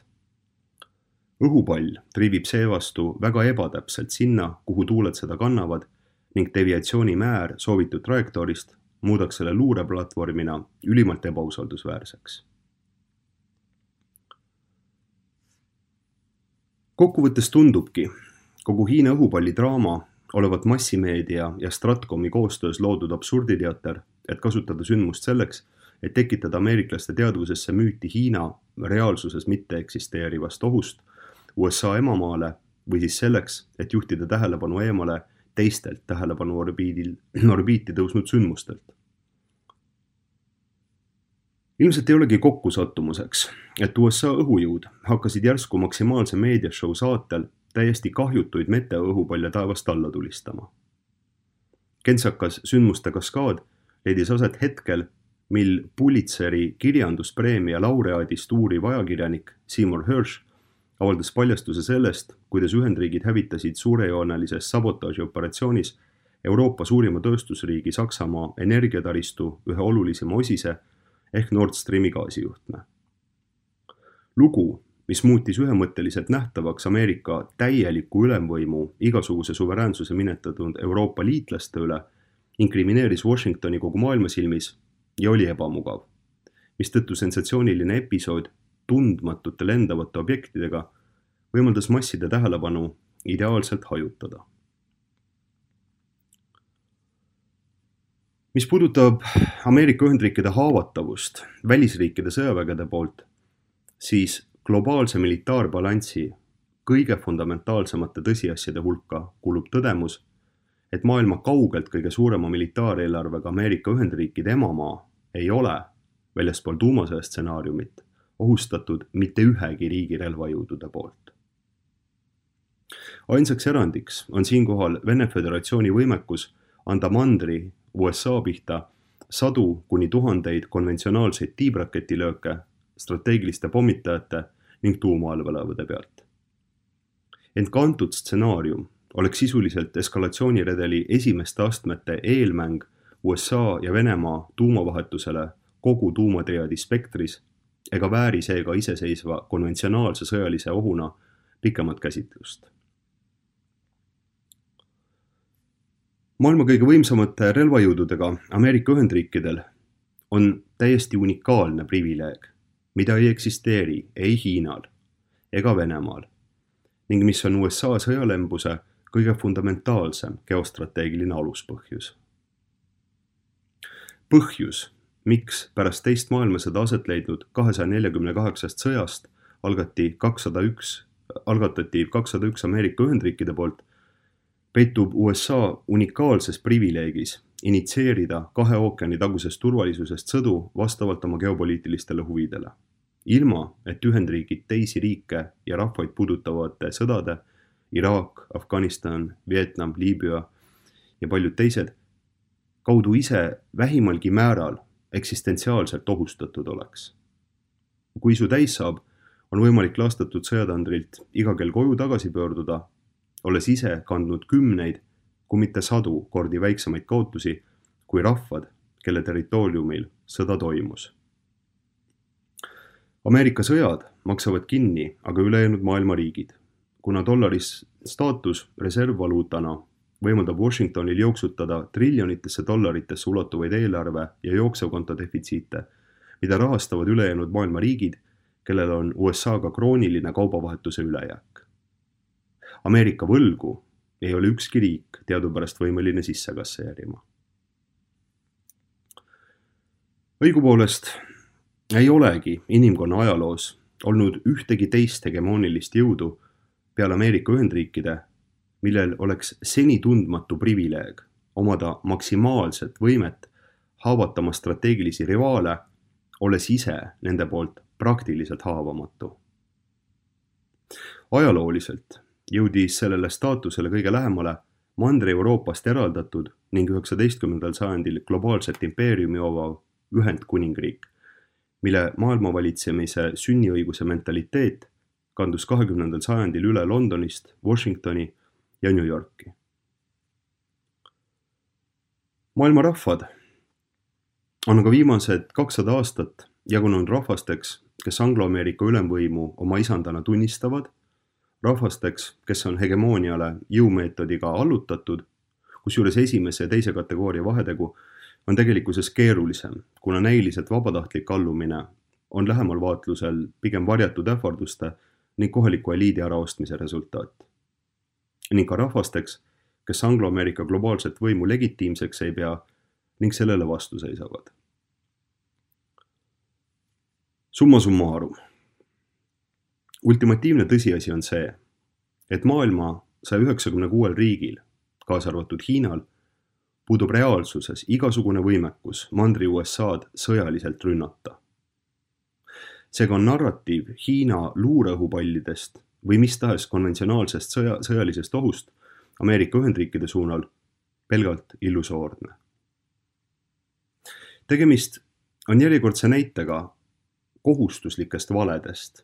Õhupall triivib seevastu väga ebatäpselt sinna, kuhu tuuled seda kannavad ning deviatsiooni määr soovitud trajektoorist muudaks selle luureplatvormina ülimalt ebausaldusväärseks. Kokkuvõttes tundubki kogu Hiina õhupalli draama olevat massimeedia ja Stratcomi koostöös loodud absurditeater, et kasutada sündmust selleks, et tekitada ameeriklaste teadvusesse müüti Hiina reaalsuses mitte eksisteerivast ohust USA emamaale või siis selleks, et juhtida tähelepanu eemale teistelt tähelepanu orbiiti tõusnud sündmustelt. Ilmselt ei olegi kokkusattumuseks, et USA õhujõud hakkasid järsku maksimaalse meediashow saatel täiesti kahjutuid meteoõhupalle taevast alla tulistama. Kentsakas sündmuste kaskaad leidis aset hetkel, mil Pulitzeri kirjanduspreemia laureaadist uuriv ajakirjanik Seymour Hersh avaldas paljastuse sellest, kuidas Ühendriigid hävitasid suurejoonelises sabotaažioperatsioonis Euroopa suurima tööstusriigi Saksamaa energiataristu ühe olulisema osise ehk Nord Streami gaasijuhtme. Lugu, mis muutis ühemõtteliselt nähtavaks Ameerika täieliku ülemvõimu igasuguse suveräänsuse minetatud Euroopa liitlaste üle, inkrimineeris Washingtoni kogu maailma silmis ja oli ebamugav, mistõttu sensatsiooniline episood tundmatute lendavate objektidega võimaldas masside tähelepanu ideaalselt hajutada. Mis puudutab Ameerika Ühendriikide haavatavust välisriikide sõjavägede poolt, siis globaalse militaarbalanssi kõige fundamentaalsemate tõsiasjade hulka kuulub tõdemus, et maailma kaugelt kõige suurema militaareelarvega Ameerika Ühendriikide emamaa ei ole, väljaspool tuumasõja stsenaariumit, ohustatud mitte ühegi riigi relvajõudude poolt. Ainsaks erandiks on siinkohal Vene Föderatsiooni võimekus anda mandri USA pihta 100 kuni 1000 konventsionaalseid tiibraketilööke strateegiliste pommitajate ning tuumaallveelaevade pealt. Ent ka antud stsenaarium oleks sisuliselt eskalatsiooniredeli esimeste astmete eelmäng USA ja Venemaa tuumavahetusele kogu tuumatriadi spektris ega vääri seega iseseisva konventsionaalse sõjalise ohuna pikemat käsitlust. Maailma kõige võimsamate relvajõududega Ameerika Ühendriikidel on täiesti unikaalne privileeg, mida ei eksisteeri ei Hiinal ega Venemaal ning mis on USA sõjalembuse kõige fundamentaalsem geostrateegiline aluspõhjus. Põhjus, miks pärast teist maailmasõda aset leidnud 248 sõjast algatati 201 Ameerika Ühendriikide poolt, peitub USA unikaalses privileegis initseerida 2 ookeani tagusest turvalisusest sõdu vastavalt oma geopoliitilistele huvidele. Ilma, et Ühendriigid teisi riike ja rahvaid puudutavate sõdade, Iraak, Afganistan, Vietnam, Liibüa ja paljud teised, kaudu ise vähimalgi määral eksistentsiaalselt ohustatud oleks. Kui isu täis saab, on võimalik laastatud sõjatandrilt iga kell koju tagasi pöörduda, olles ise kandnud 10, kui mitte 100 kordi väiksemaid kaotusi kui rahvad, kelle territooriumil sõda toimus. Ameerika sõjad maksavad kinni aga ülejäänud maailma riigid, kuna dollari staatus reservvaluutana võimaldab Washingtonil jooksutada triljonitesse dollaritesse ulatuvaid eelarve ja jooksevkonto defitsiite, mida rahastavad ülejäänud maailma riigid, kellel on USA-ga krooniline kaubavahetuse ülejääk. Ameerika võlgu ei ole ükski riik teadupärast võimeline sisse kasseerima. Õigupoolest ei olegi inimkonna ajaloos olnud ühtegi teist hegemoonilist jõudu peale Ameerika Ühendriikide, millel oleks seni tundmatu privileeg omada maksimaalset võimet haavatama strateegilisi rivaale, olles ise nende poolt praktiliselt haavamatu. Ajalooliselt jõudis sellele staatusele kõige lähemale Mandri-Euroopast eraldatud ning 19. sajandil globaalset impeeriumi omav Ühendkuningriik, mille maailmavalitsemise sünniõiguse mentaliteet kandus 20. sajandil üle Londonist, Washingtoni ja New Yorki. Maailma rahvad on aga viimased 200 aastat jagunenud rahvasteks, kes Anglo-Ameerika ülemvõimu oma isandana tunnistavad, rahvasteks, kes on hegemooniale jõumeetodiga allutatud, kusjuures esimese ja teise kategooria vahetegu on tegelikkuses keerulisem, kuna näiliselt vabatahtlik allumine on lähemal vaatlusel pigem varjatud ähvarduste ning kohaliku eliidi äraostmise resultaat. Ning ka rahvasteks, kes Anglo-Ameerika globaalset võimu legitiimseks ei pea ning sellele vastu seisavad. Summa summarum. Ultimatiivne tõsiasi on see, et maailma 196 riigil, kaasa arvatud Hiinal, puudub reaalsuses igasugune võimekus mandri USA'd sõjaliselt rünnata. Seega on narratiiv Hiina luureõhupallidest või mis tahes konventsionaalsest sõjalisest ohust Ameerika Ühendriikide suunal pelgalt illusoorne. Tegemist on järjekordse näitega kohustuslikest valedest,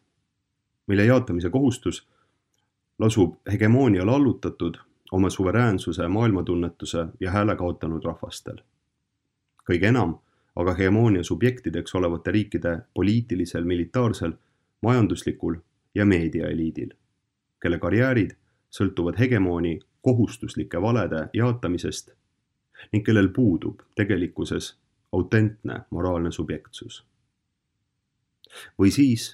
mille jaatamise kohustus lasub hegemooniale allutatud oma suveräänsuse, maailmatunnetuse ja hääle kaotanud rahvastel. Kõige enam aga hegemoonia subjektideks olevate riikide poliitilisel, militaarsel, majanduslikul ja meediaeliidil, kelle karjäärid sõltuvad hegemooni kohustuslike valede jaatamisest ning kellel puudub tegelikkuses autentne moraalne subjektsus. Või siis,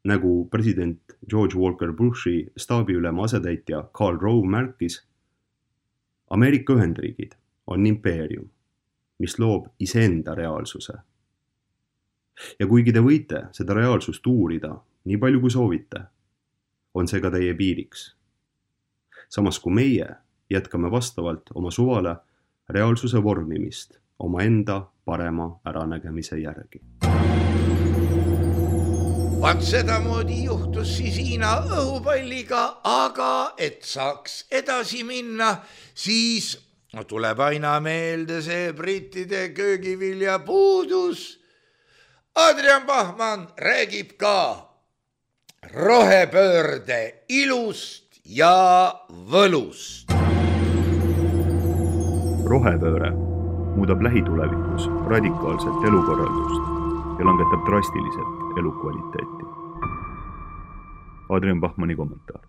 nagu president George Walker Bushi staabiülema asetäitja Karl Rove märkis, Ameerika Ühendriigid on impeerium, mis loob iseenda reaalsuse. Ja kuigi te võite seda reaalsust uurida nii palju kui soovite, on see ka teie piiriks. Samas kui meie jätkame vastavalt oma suvale reaalsuse vormimist oma enda parema äranägemise järgi. Vaat sedamoodi juhtus siis Hiina õhupalliga, aga et saaks edasi minna, siis tuleb aina meelde see brittide köögivilja puudus. Adrian Bachmann räägib ka rohepöörde ilust ja võlust. Rohepööre muudab lähitulevikus radikaalselt elukorraldust ja langetab drastiliselt elukvaliteeti. Adrian Bachmanni kommentaar.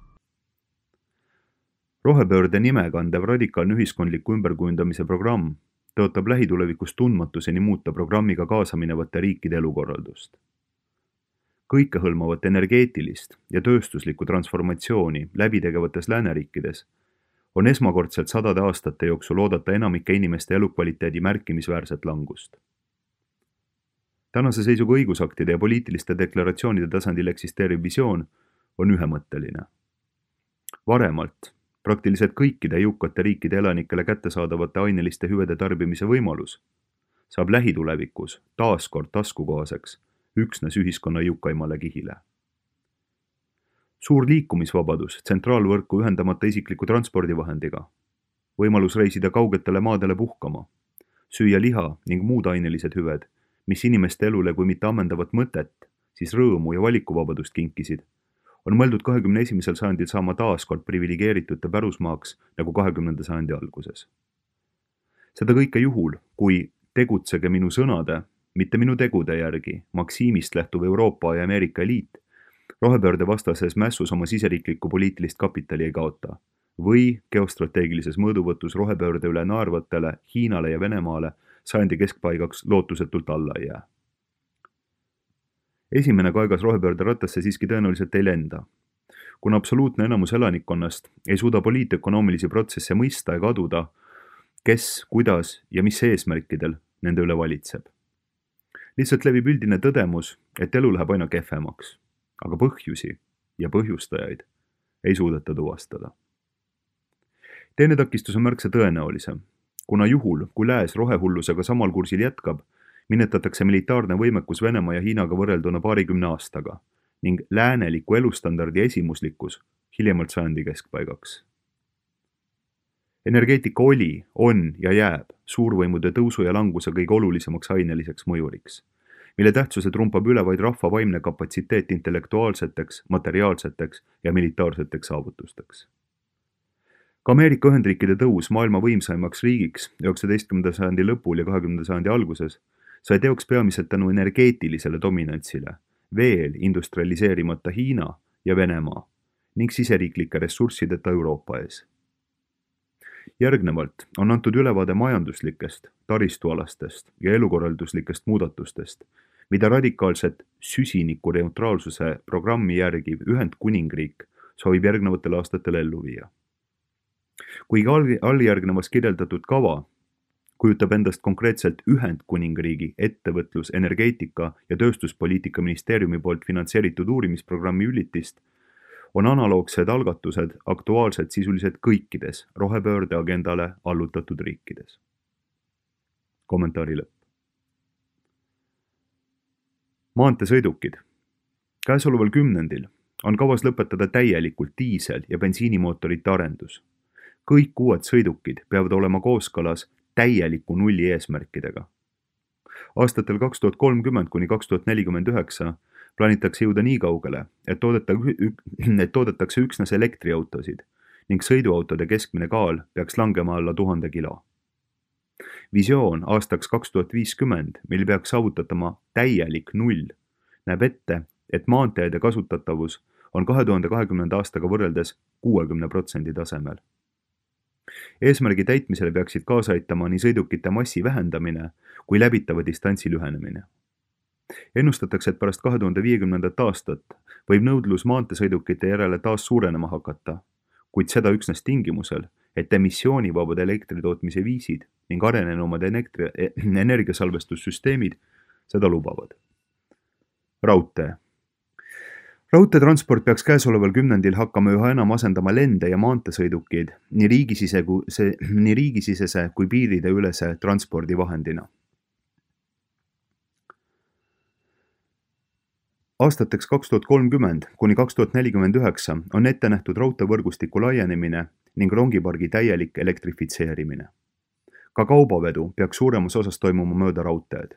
Rohepöörde nime kandev radikaalne ühiskondliku ümberkujundamise programm tõotab lähitulevikus tundmatuseni muuta programmiga kaasaminevate riikide elukorraldust. Kõikehõlmavat energeetilist ja tööstuslikku transformatsiooni läbitegevates lääneriikides on esmakordselt 100 aastate jooksul oodata enamike inimeste elukvaliteedi märkimisväärset langust. Tänase seisuga õigusaktide ja poliitiliste deklaratsioonide tasandil eksisteeriv visioon on ühemõtteline. Varemalt praktiliselt kõikide jõukate riikide elanikele kättesaadavate aineliste hüvede tarbimise võimalus saab lähitulevikus taaskord taskukohaseks üksnes ühiskonna jõukaimale kihile. Suur liikumisvabadus tsentraalvõrku ühendamata isikliku transpordivahendiga, võimalus reisida kaugetele maadele puhkama, süüa liha ning muud ainelised hüved, mis inimeste elule kui mitte ammendavat mõtet, siis rõõmu ja valikuvabadust kinkisid, on mõeldud 21. sajandil saama taaskord privilegeeritute pärusmaaks nagu 20. sajandi alguses. Seda kõike juhul, kui tegutsege minu sõnade, mitte minu tegude järgi, maksiimist lähtuv Euroopa ja Ameerika eliit, rohepöörde vastases mässus oma siseriiklikku poliitilist kapitali ei kaota või geostrateegilises mõõduvõtus rohepöörde üle naervatele Hiinale ja Venemaale sajandi keskpaigaks lootusetult alla ei jää. Esimene kaegas rohepöörde rattasse siiski tõenäoliselt ei lenda, kuna absoluutne enamus elanikkonnast ei suuda poliitökonoomilisi protsesse mõista ega aduda, kes, kuidas ja mis eesmärkidel nende üle valitseb. Lihtsalt levib üldine tõdemus, et elu läheb aina kehvemaks, aga põhjusi ja põhjustajaid ei suudeta tuvastada. Teine takistus on märksa tõenäolisem, kuna juhul, kui lääs rohehullusega samal kursil jätkab, minetatakse militaarne võimekus Venemaa ja Hiinaga võrrelduna 20 aastaga ning lääneliku elustandardi esimuslikkus hiljemalt sajandi keskpaigaks. Energeetika oli, on ja jääb suurvõimude tõusu ja languse kõige olulisemaks aineliseks mõjuriks, mille tähtsuse trumpab üle vaid rahva vaimne kapatsiteet intellektuaalseteks, materiaalseteks ja militaarseteks saavutusteks. Ka Ameerika Ühendriikide tõus maailma võimsaimaks riigiks 19. sajandi lõpul ja 20. sajandi alguses sai teoks peamiselt tänu energeetilisele dominantsile, veel industrialiseerimata Hiina ja Venemaa ning siseriiklike ressurssideta Euroopa ees. Järgnevalt on antud ülevaade majanduslikest, taristualastest ja elukorralduslikest muudatustest, mida radikaalset süsinikuneutraalsuse programmi järgiv Ühendkuningriik soovib järgnevatel aastatel ellu viia. Kuigi alljärgnevas kirjeldatud kava kujutab endast konkreetselt Ühendkuningriigi ettevõtlus-, energeetika ja tööstuspoliitika ministeeriumi poolt finantseeritud uurimisprogrammi ülitist, on analoogsed algatused aktuaalsed sisuliselt kõikides rohepöörde agendale allutatud riikides. Kommentaari lõpp. Maanteesõidukid. Käesoleval kümnendil on kavas lõpetada täielikult diisel- ja bensiinimootorite arendus. Kõik uued sõidukid peavad olema kooskõlas täieliku nulli eesmärkidega. Aastatel 2030 kuni 2049 plaanitakse jõuda nii kaugele, et toodetakse üksnes elektriautosid ning sõiduautode keskmine kaal peaks langema alla 1000 kilo. Visioon aastaks 2050, mil peaks saavutatama täielik null, näeb ette, et maanteede kasutatavus on 2020. aastaga võrreldes 60% tasemel. Eesmärgi täitmisele peaksid kaasa aitama nii sõidukite massi vähendamine kui läbitava distantsi lühenemine. Ennustatakse, et pärast 2050. aastat võib nõudlus maanteesõidukite järele taas suurenema hakata, kuid seda üksnes tingimusel, et emissioonivabad elektritootmise viisid ning arenenumad energiasalvestussüsteemid seda lubavad. Raudtee. Raudteetransport peaks käesoleval kümnendil hakkama üha enam asendama lende ja maanteesõidukeid nii riigisisese kui piirideülese transpordivahendina. Aastateks 2030 kuni 2049 on ette nähtud raudteevõrgustiku laienemine ning rongipargi täielik elektrifitseerimine. Ka kaubavedu peaks suuremas osas toimuma mööda raudteed.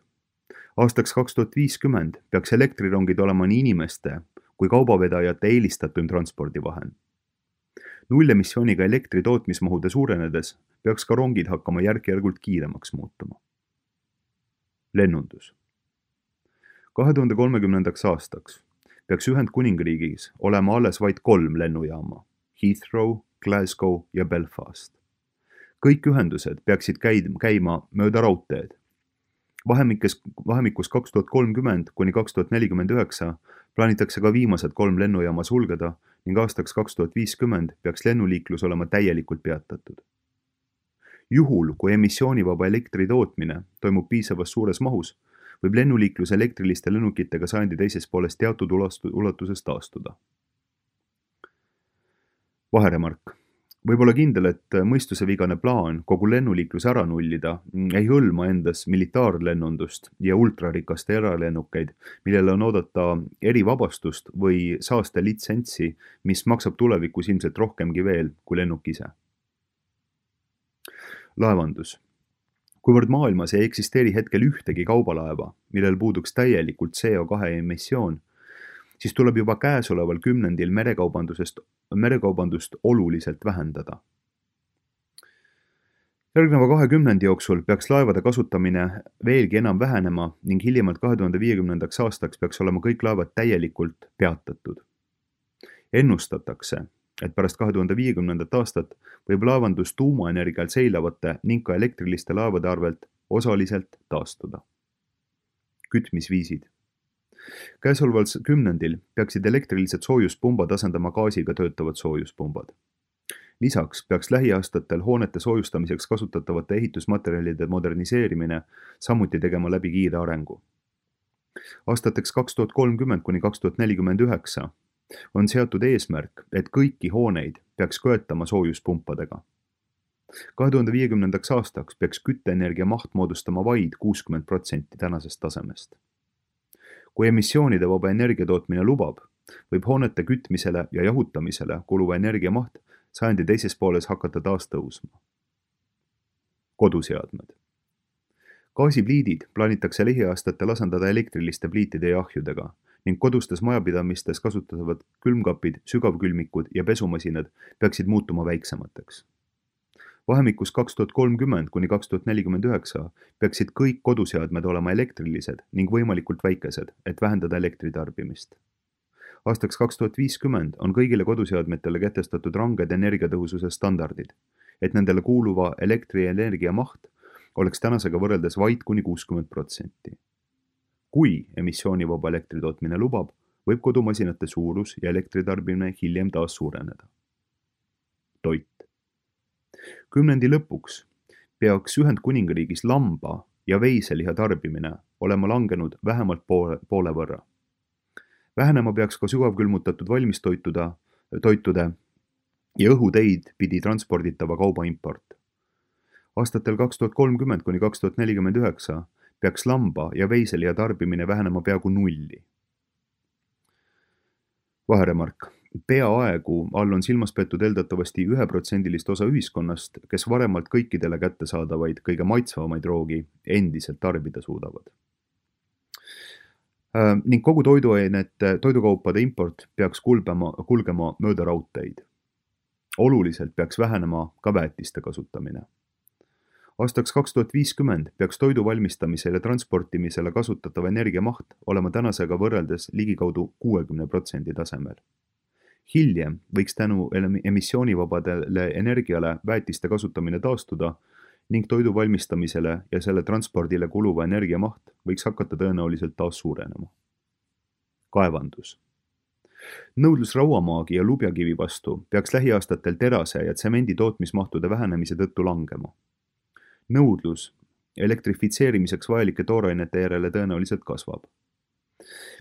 Aastaks 2050 peaks elektrirongid olema nii inimeste kui kaubavedajate eelistatum transpordivahend. Nullemissiooniga elektri tootmismahude suurenedes peaks ka rongid hakkama järk-järgult kiiremaks muutuma. Lennundus. 2030. aastaks peaks Ühendkuningriigis olema alles vaid 3 lennujaama: Heathrow, Glasgow ja Belfast. Kõik ühendused peaksid käima mööda raudteed. Vahemikus 2030 kuni 2049 plaanitakse ka viimased 3 lennujaama sulgeda ning aastaks 2050 peaks lennuliiklus olema täielikult peatatud. Juhul, kui emissioonivaba elektri tootmine toimub piisavas suures mahus, võib lennuliiklus elektriliste lennukitega sajandi teises pooles teatud ulatuses taastuda. Vaheremark. Võib olla kindel, et mõistusevigane plaan kogu lennuliiklus ära nullida ei hõlma endas militaarlennundust ja ultrarikaste eralennukeid, millele on oodata erivabastust või saaste litsentsi, mis maksab tulevikus ilmselt rohkemgi veel kui lennuk ise. Laevandus. Kuivõrd maailmas ei eksisteeri hetkel ühtegi kaubalaeva, millel puuduks täielikult CO2 emissioon, siis tuleb juba käesoleval kümnendil merekaubandust oluliselt vähendada. Järgneva 20 jooksul peaks laevade kasutamine veelgi enam vähenema ning hiljemalt 2050. aastaks peaks olema kõik laevad täielikult peatatud. Ennustatakse, et pärast 2050. aastat võib laevandus tuumaenergial seilavate ning ka elektriliste laevade arvelt osaliselt taastuda. Kütmisviisid. Käesoleval kümnendil peaksid elektrilised soojuspumbad asendama gaasiga töötavad soojuspumbad. Lisaks peaks lähiaastatel hoonete soojustamiseks kasutatavate ehitusmaterjalide moderniseerimine samuti tegema läbi kiire arengu. Aastateks 2030 kuni 2049 on seatud eesmärk, et kõiki hooneid peaks köetama soojuspumpadega. 2050. aastaks peaks kütteenergia maht moodustama vaid 60% tänasest tasemest. Kui emissioonide vaba energiatootmine lubab, võib hoonete kütmisele ja jahutamisele kuluva energia maht sajandi teises pooles hakata taas tõusma. Koduseadmed. Gaasipliidid plaanitakse lähiaastatel asendada elektriliste pliitide ja ahjudega ning kodustes majapidamistes kasutatavad külmkapid, sügavkülmikud ja pesumasinad peaksid muutuma väiksemateks. Vahemikus 2030 kuni 2049 peaksid kõik koduseadmed olema elektrilised ning võimalikult väikesed, et vähendada elektritarbimist. Aastaks 2050 on kõigile koduseadmetele kehtestatud ranged energiatõhususe standardid, et nendele kuuluva elektrienergia maht oleks tänasega võrreldes vaid kuni 60%. Kui emissioonivaba elektritootmine lubab, võib kodumasinate suurus ja elektritarbimine hiljem taas suureneda. Toit. Kümnendi lõpuks peaks Ühendkuningriigis lamba ja veiseliha tarbimine olema langenud vähemalt poole võrra. Vähenema peaks ka sügavkülmutatud valmistoitude ja õhuteid pidi transporditava kauba import. Aastatel 2030 kuni 2049 peaks lamba ja veiseliha tarbimine vähenema peaaegu nulli. Vaheremark. Peaaegu all on silmas peetud eeldatavasti 1% osa ühiskonnast, kes varemalt kõikidele kättesaadavaid kõige maitsvamaid roogi endiselt tarbida suudavad. Ning kogu toidukaupade import peaks kulgema mööda raudteid. Oluliselt peaks vähenema ka väetiste kasutamine. Aastaks 2050 peaks toidu valmistamisel ja transportimisele kasutatava energia maht olema tänasega võrreldes ligikaudu 60% tasemel. Hiljem võiks tänu emissioonivabadele energiale väetiste kasutamine taastuda ning toidu valmistamisele ja selle transpordile kuluva energia maht võiks hakata tõenäoliselt taas suurenema. Kaevandus. Nõudlus rauamaagi ja lubjakivi vastu peaks lähiaastatel terase ja tsemendi tootmismahtude vähenemise tõttu langema. Nõudlus elektrifitseerimiseks vajalike toorainete järele tõenäoliselt kasvab.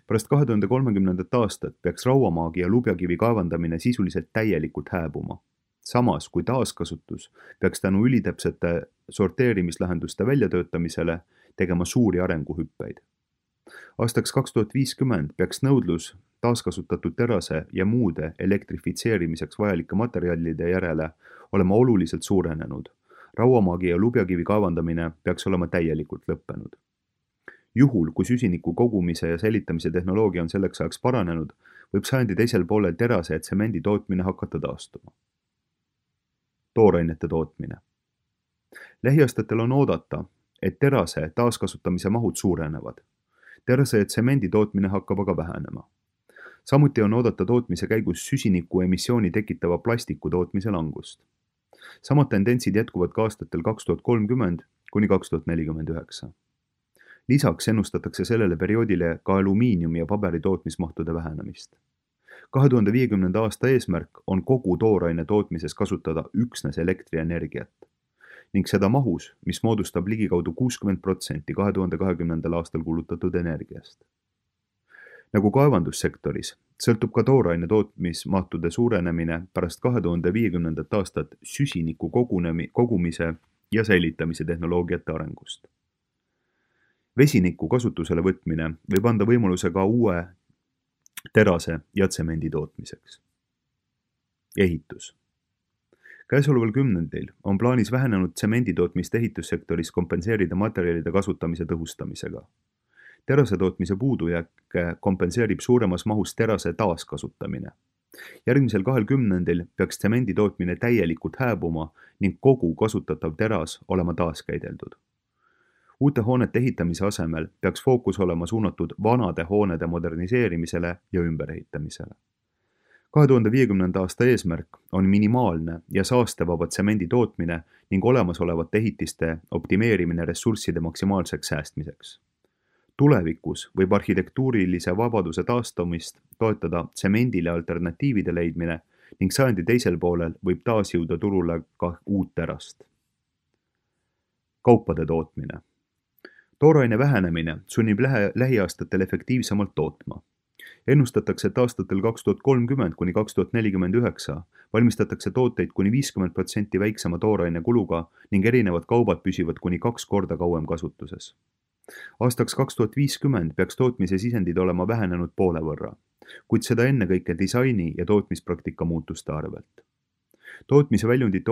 Pärast 2030. aastat peaks rauamaagi ja lubjakivi kaevandamine sisuliselt täielikult hääbuma. Samas kui taaskasutus peaks tänu ülitäpsete sorteerimislahenduste väljatöötamisele tegema suuri arenguhüppeid. Aastaks 2050 peaks nõudlus taaskasutatud terase ja muude elektrifitseerimiseks vajalike materjalide järele olema oluliselt suurenenud. Rauamaagi ja lubjakivi kaevandamine peaks olema täielikult lõppenud. Juhul, kui süsiniku kogumise ja säilitamise tehnoloogia on selleks ajaks paranenud, võib sajandi teisel poolel terase ja tsemendi tootmine hakata taastuma. Toorainete tootmine. Lähiaastatel on oodata, et terase taaskasutamise mahud suurenevad. Terase ja tsemendi tootmine hakkab aga vähenema. Samuti on oodata tootmise käigus süsiniku emissiooni tekitava plastiku tootmise langust. Samad tendentsid jätkuvad ka aastatel 2030 kuni 2049. Lisaks ennustatakse sellele perioodile ka alumiiniumi ja paberi tootmismahtude vähenemist. 2050. aasta eesmärk on kogu tooraine tootmises kasutada üksnes elektrienergiat ning seda mahus, mis moodustab ligikaudu 60% 2020. aastal kulutatud energiast. Nagu kaevandussektoris, sõltub ka tooraine tootmismahtude suurenemine pärast 2050. aastat süsiniku kogumise ja säilitamise tehnoloogiate arengust. Vesiniku kasutusele võtmine võib anda võimaluse ka uue terase ja tsemendi tootmiseks. Ehitus. Käesoleval kümnendil on plaanis vähenenud tsemenditootmist ehitussektoris kompenseerida materjalide kasutamise tõhustamisega. Terase tootmise puudujääke kompenseerib suuremas mahus terase taaskasutamine. Järgmisel 20 peaks tsemendi tootmine täielikult hääbuma ning kogu kasutatav teras olema taaskäideldud. Uute hoonete ehitamise asemel peaks fookus olema suunatud vanade hoonede moderniseerimisele ja ümberehitamisele. 2050. aasta eesmärk on minimaalne ja saastevaba tsemendi tootmine ning olemasolevate ehitiste optimeerimine ressursside maksimaalseks säästmiseks. Tulevikus võib arhitektuurilise vabaduse taastumist toetada tsemendile alternatiivide leidmine ning sajandi teisel poolel võib taas jõuda turule ka uut terast. Kaupade tootmine. Tooraine vähenemine sunnib lähiaastatel efektiivsemalt tootma. Ennustatakse, et aastatel 2030 kuni 2049 valmistatakse tooteid kuni 50% väiksema tooraine kuluga ning erinevad kaubad püsivad kuni 2 korda kauem kasutuses. Aastaks 2050 peaks tootmise sisendid olema vähenenud poole võrra, kuid seda ennekõike disaini ja tootmispraktika muutuste arvelt. Tootmise väljundite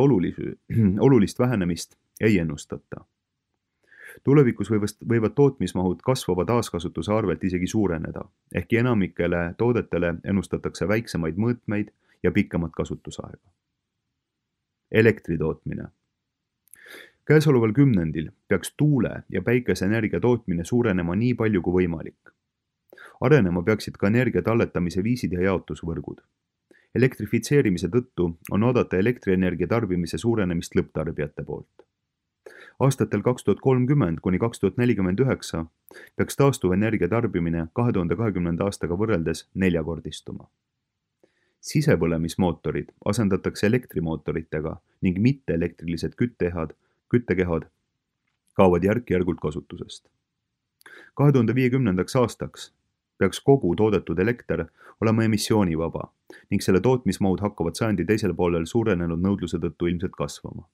olulist vähenemist ei ennustata. Tulevikus võivad tootmismahud kasvava taaskasutuse arvelt isegi suureneda, ehkki enamikele toodetele ennustatakse väiksemaid mõõtmeid ja pikemat kasutusaega. Elektri tootmine. Käesoleval kümnendil peaks tuule- ja päikeseenergia tootmine suurenema nii palju kui võimalik. Arenema peaksid ka energia talletamise viisid ja jaotusvõrgud. Elektrifitseerimise tõttu on oodata elektrienergia tarbimise suurenemist lõpptarbijate poolt. Aastatel 2030 kuni 2049 peaks taastuvenergia tarbimine 2020. aastaga võrreldes 4-kordistuma. Sisepõlemismootorid asendatakse elektrimootoritega ning mitte-elektrilised küttekehad kaovad järk-järgult kasutusest. 2050. aastaks peaks kogu toodetud elekter olema emissioonivaba ning selle tootmismahud hakkavad sajandi teisel poolel suurenenud nõudluse tõttu ilmselt kasvama.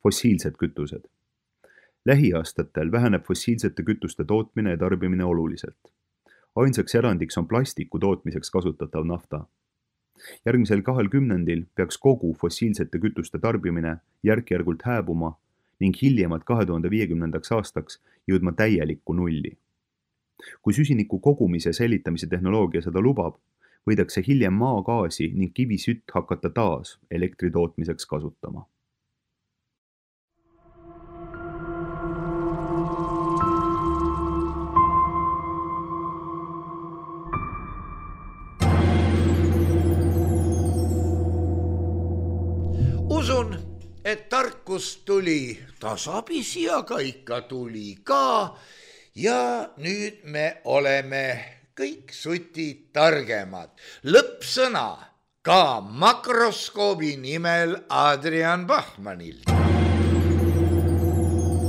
Fossiilsed kütused. Lähiaastatel väheneb fossiilsete kütuste tootmine ja tarbimine oluliselt. Ainsaks erandiks on plastiku tootmiseks kasutatav nafta. Järgmisel 2 kümnendil peaks kogu fossiilsete kütuste tarbimine järk-järgult hääbuma ning hiljemalt 2050. aastaks jõudma täielikku nulli. Kui süsiniku kogumise ja säilitamise tehnoloogia seda lubab, võidakse hiljem maagaasi ning kivisütt hakata taas elektri tootmiseks kasutama. Usun, et tarkus tuli tasapisi ja ka ikka tuli ka ja nüüd me oleme kõik sutid targemad. Lõppsõna ka makroskoobi nimel Adrian Bachmanil.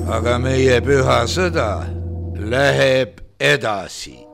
Aga meie püha sõda läheb edasi.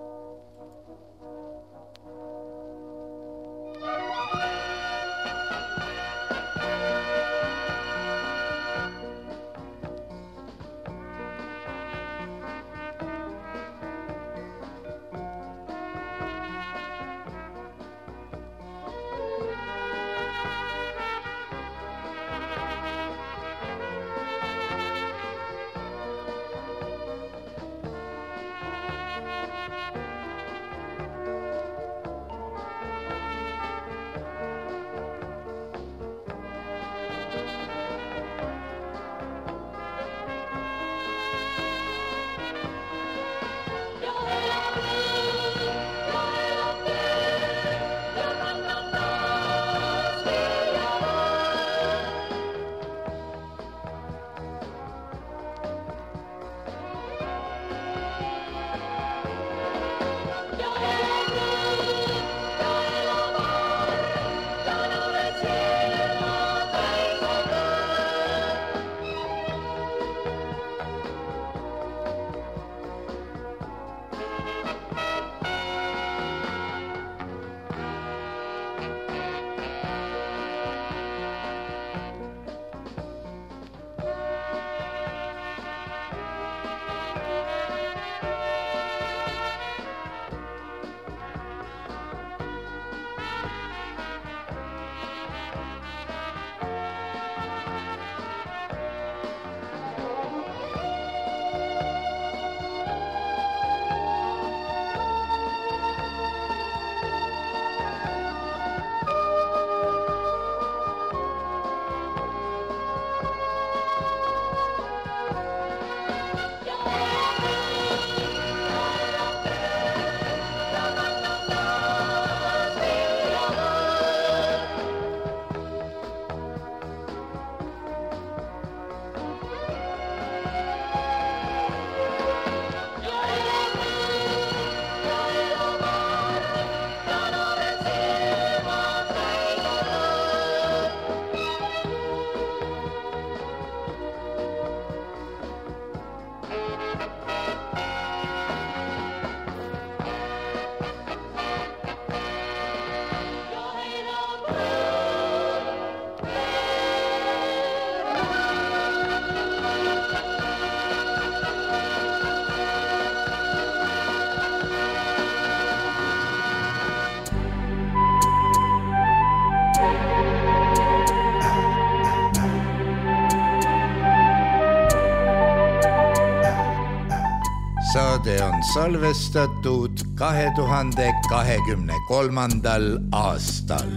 Saade on salvestatud 2023. aastal.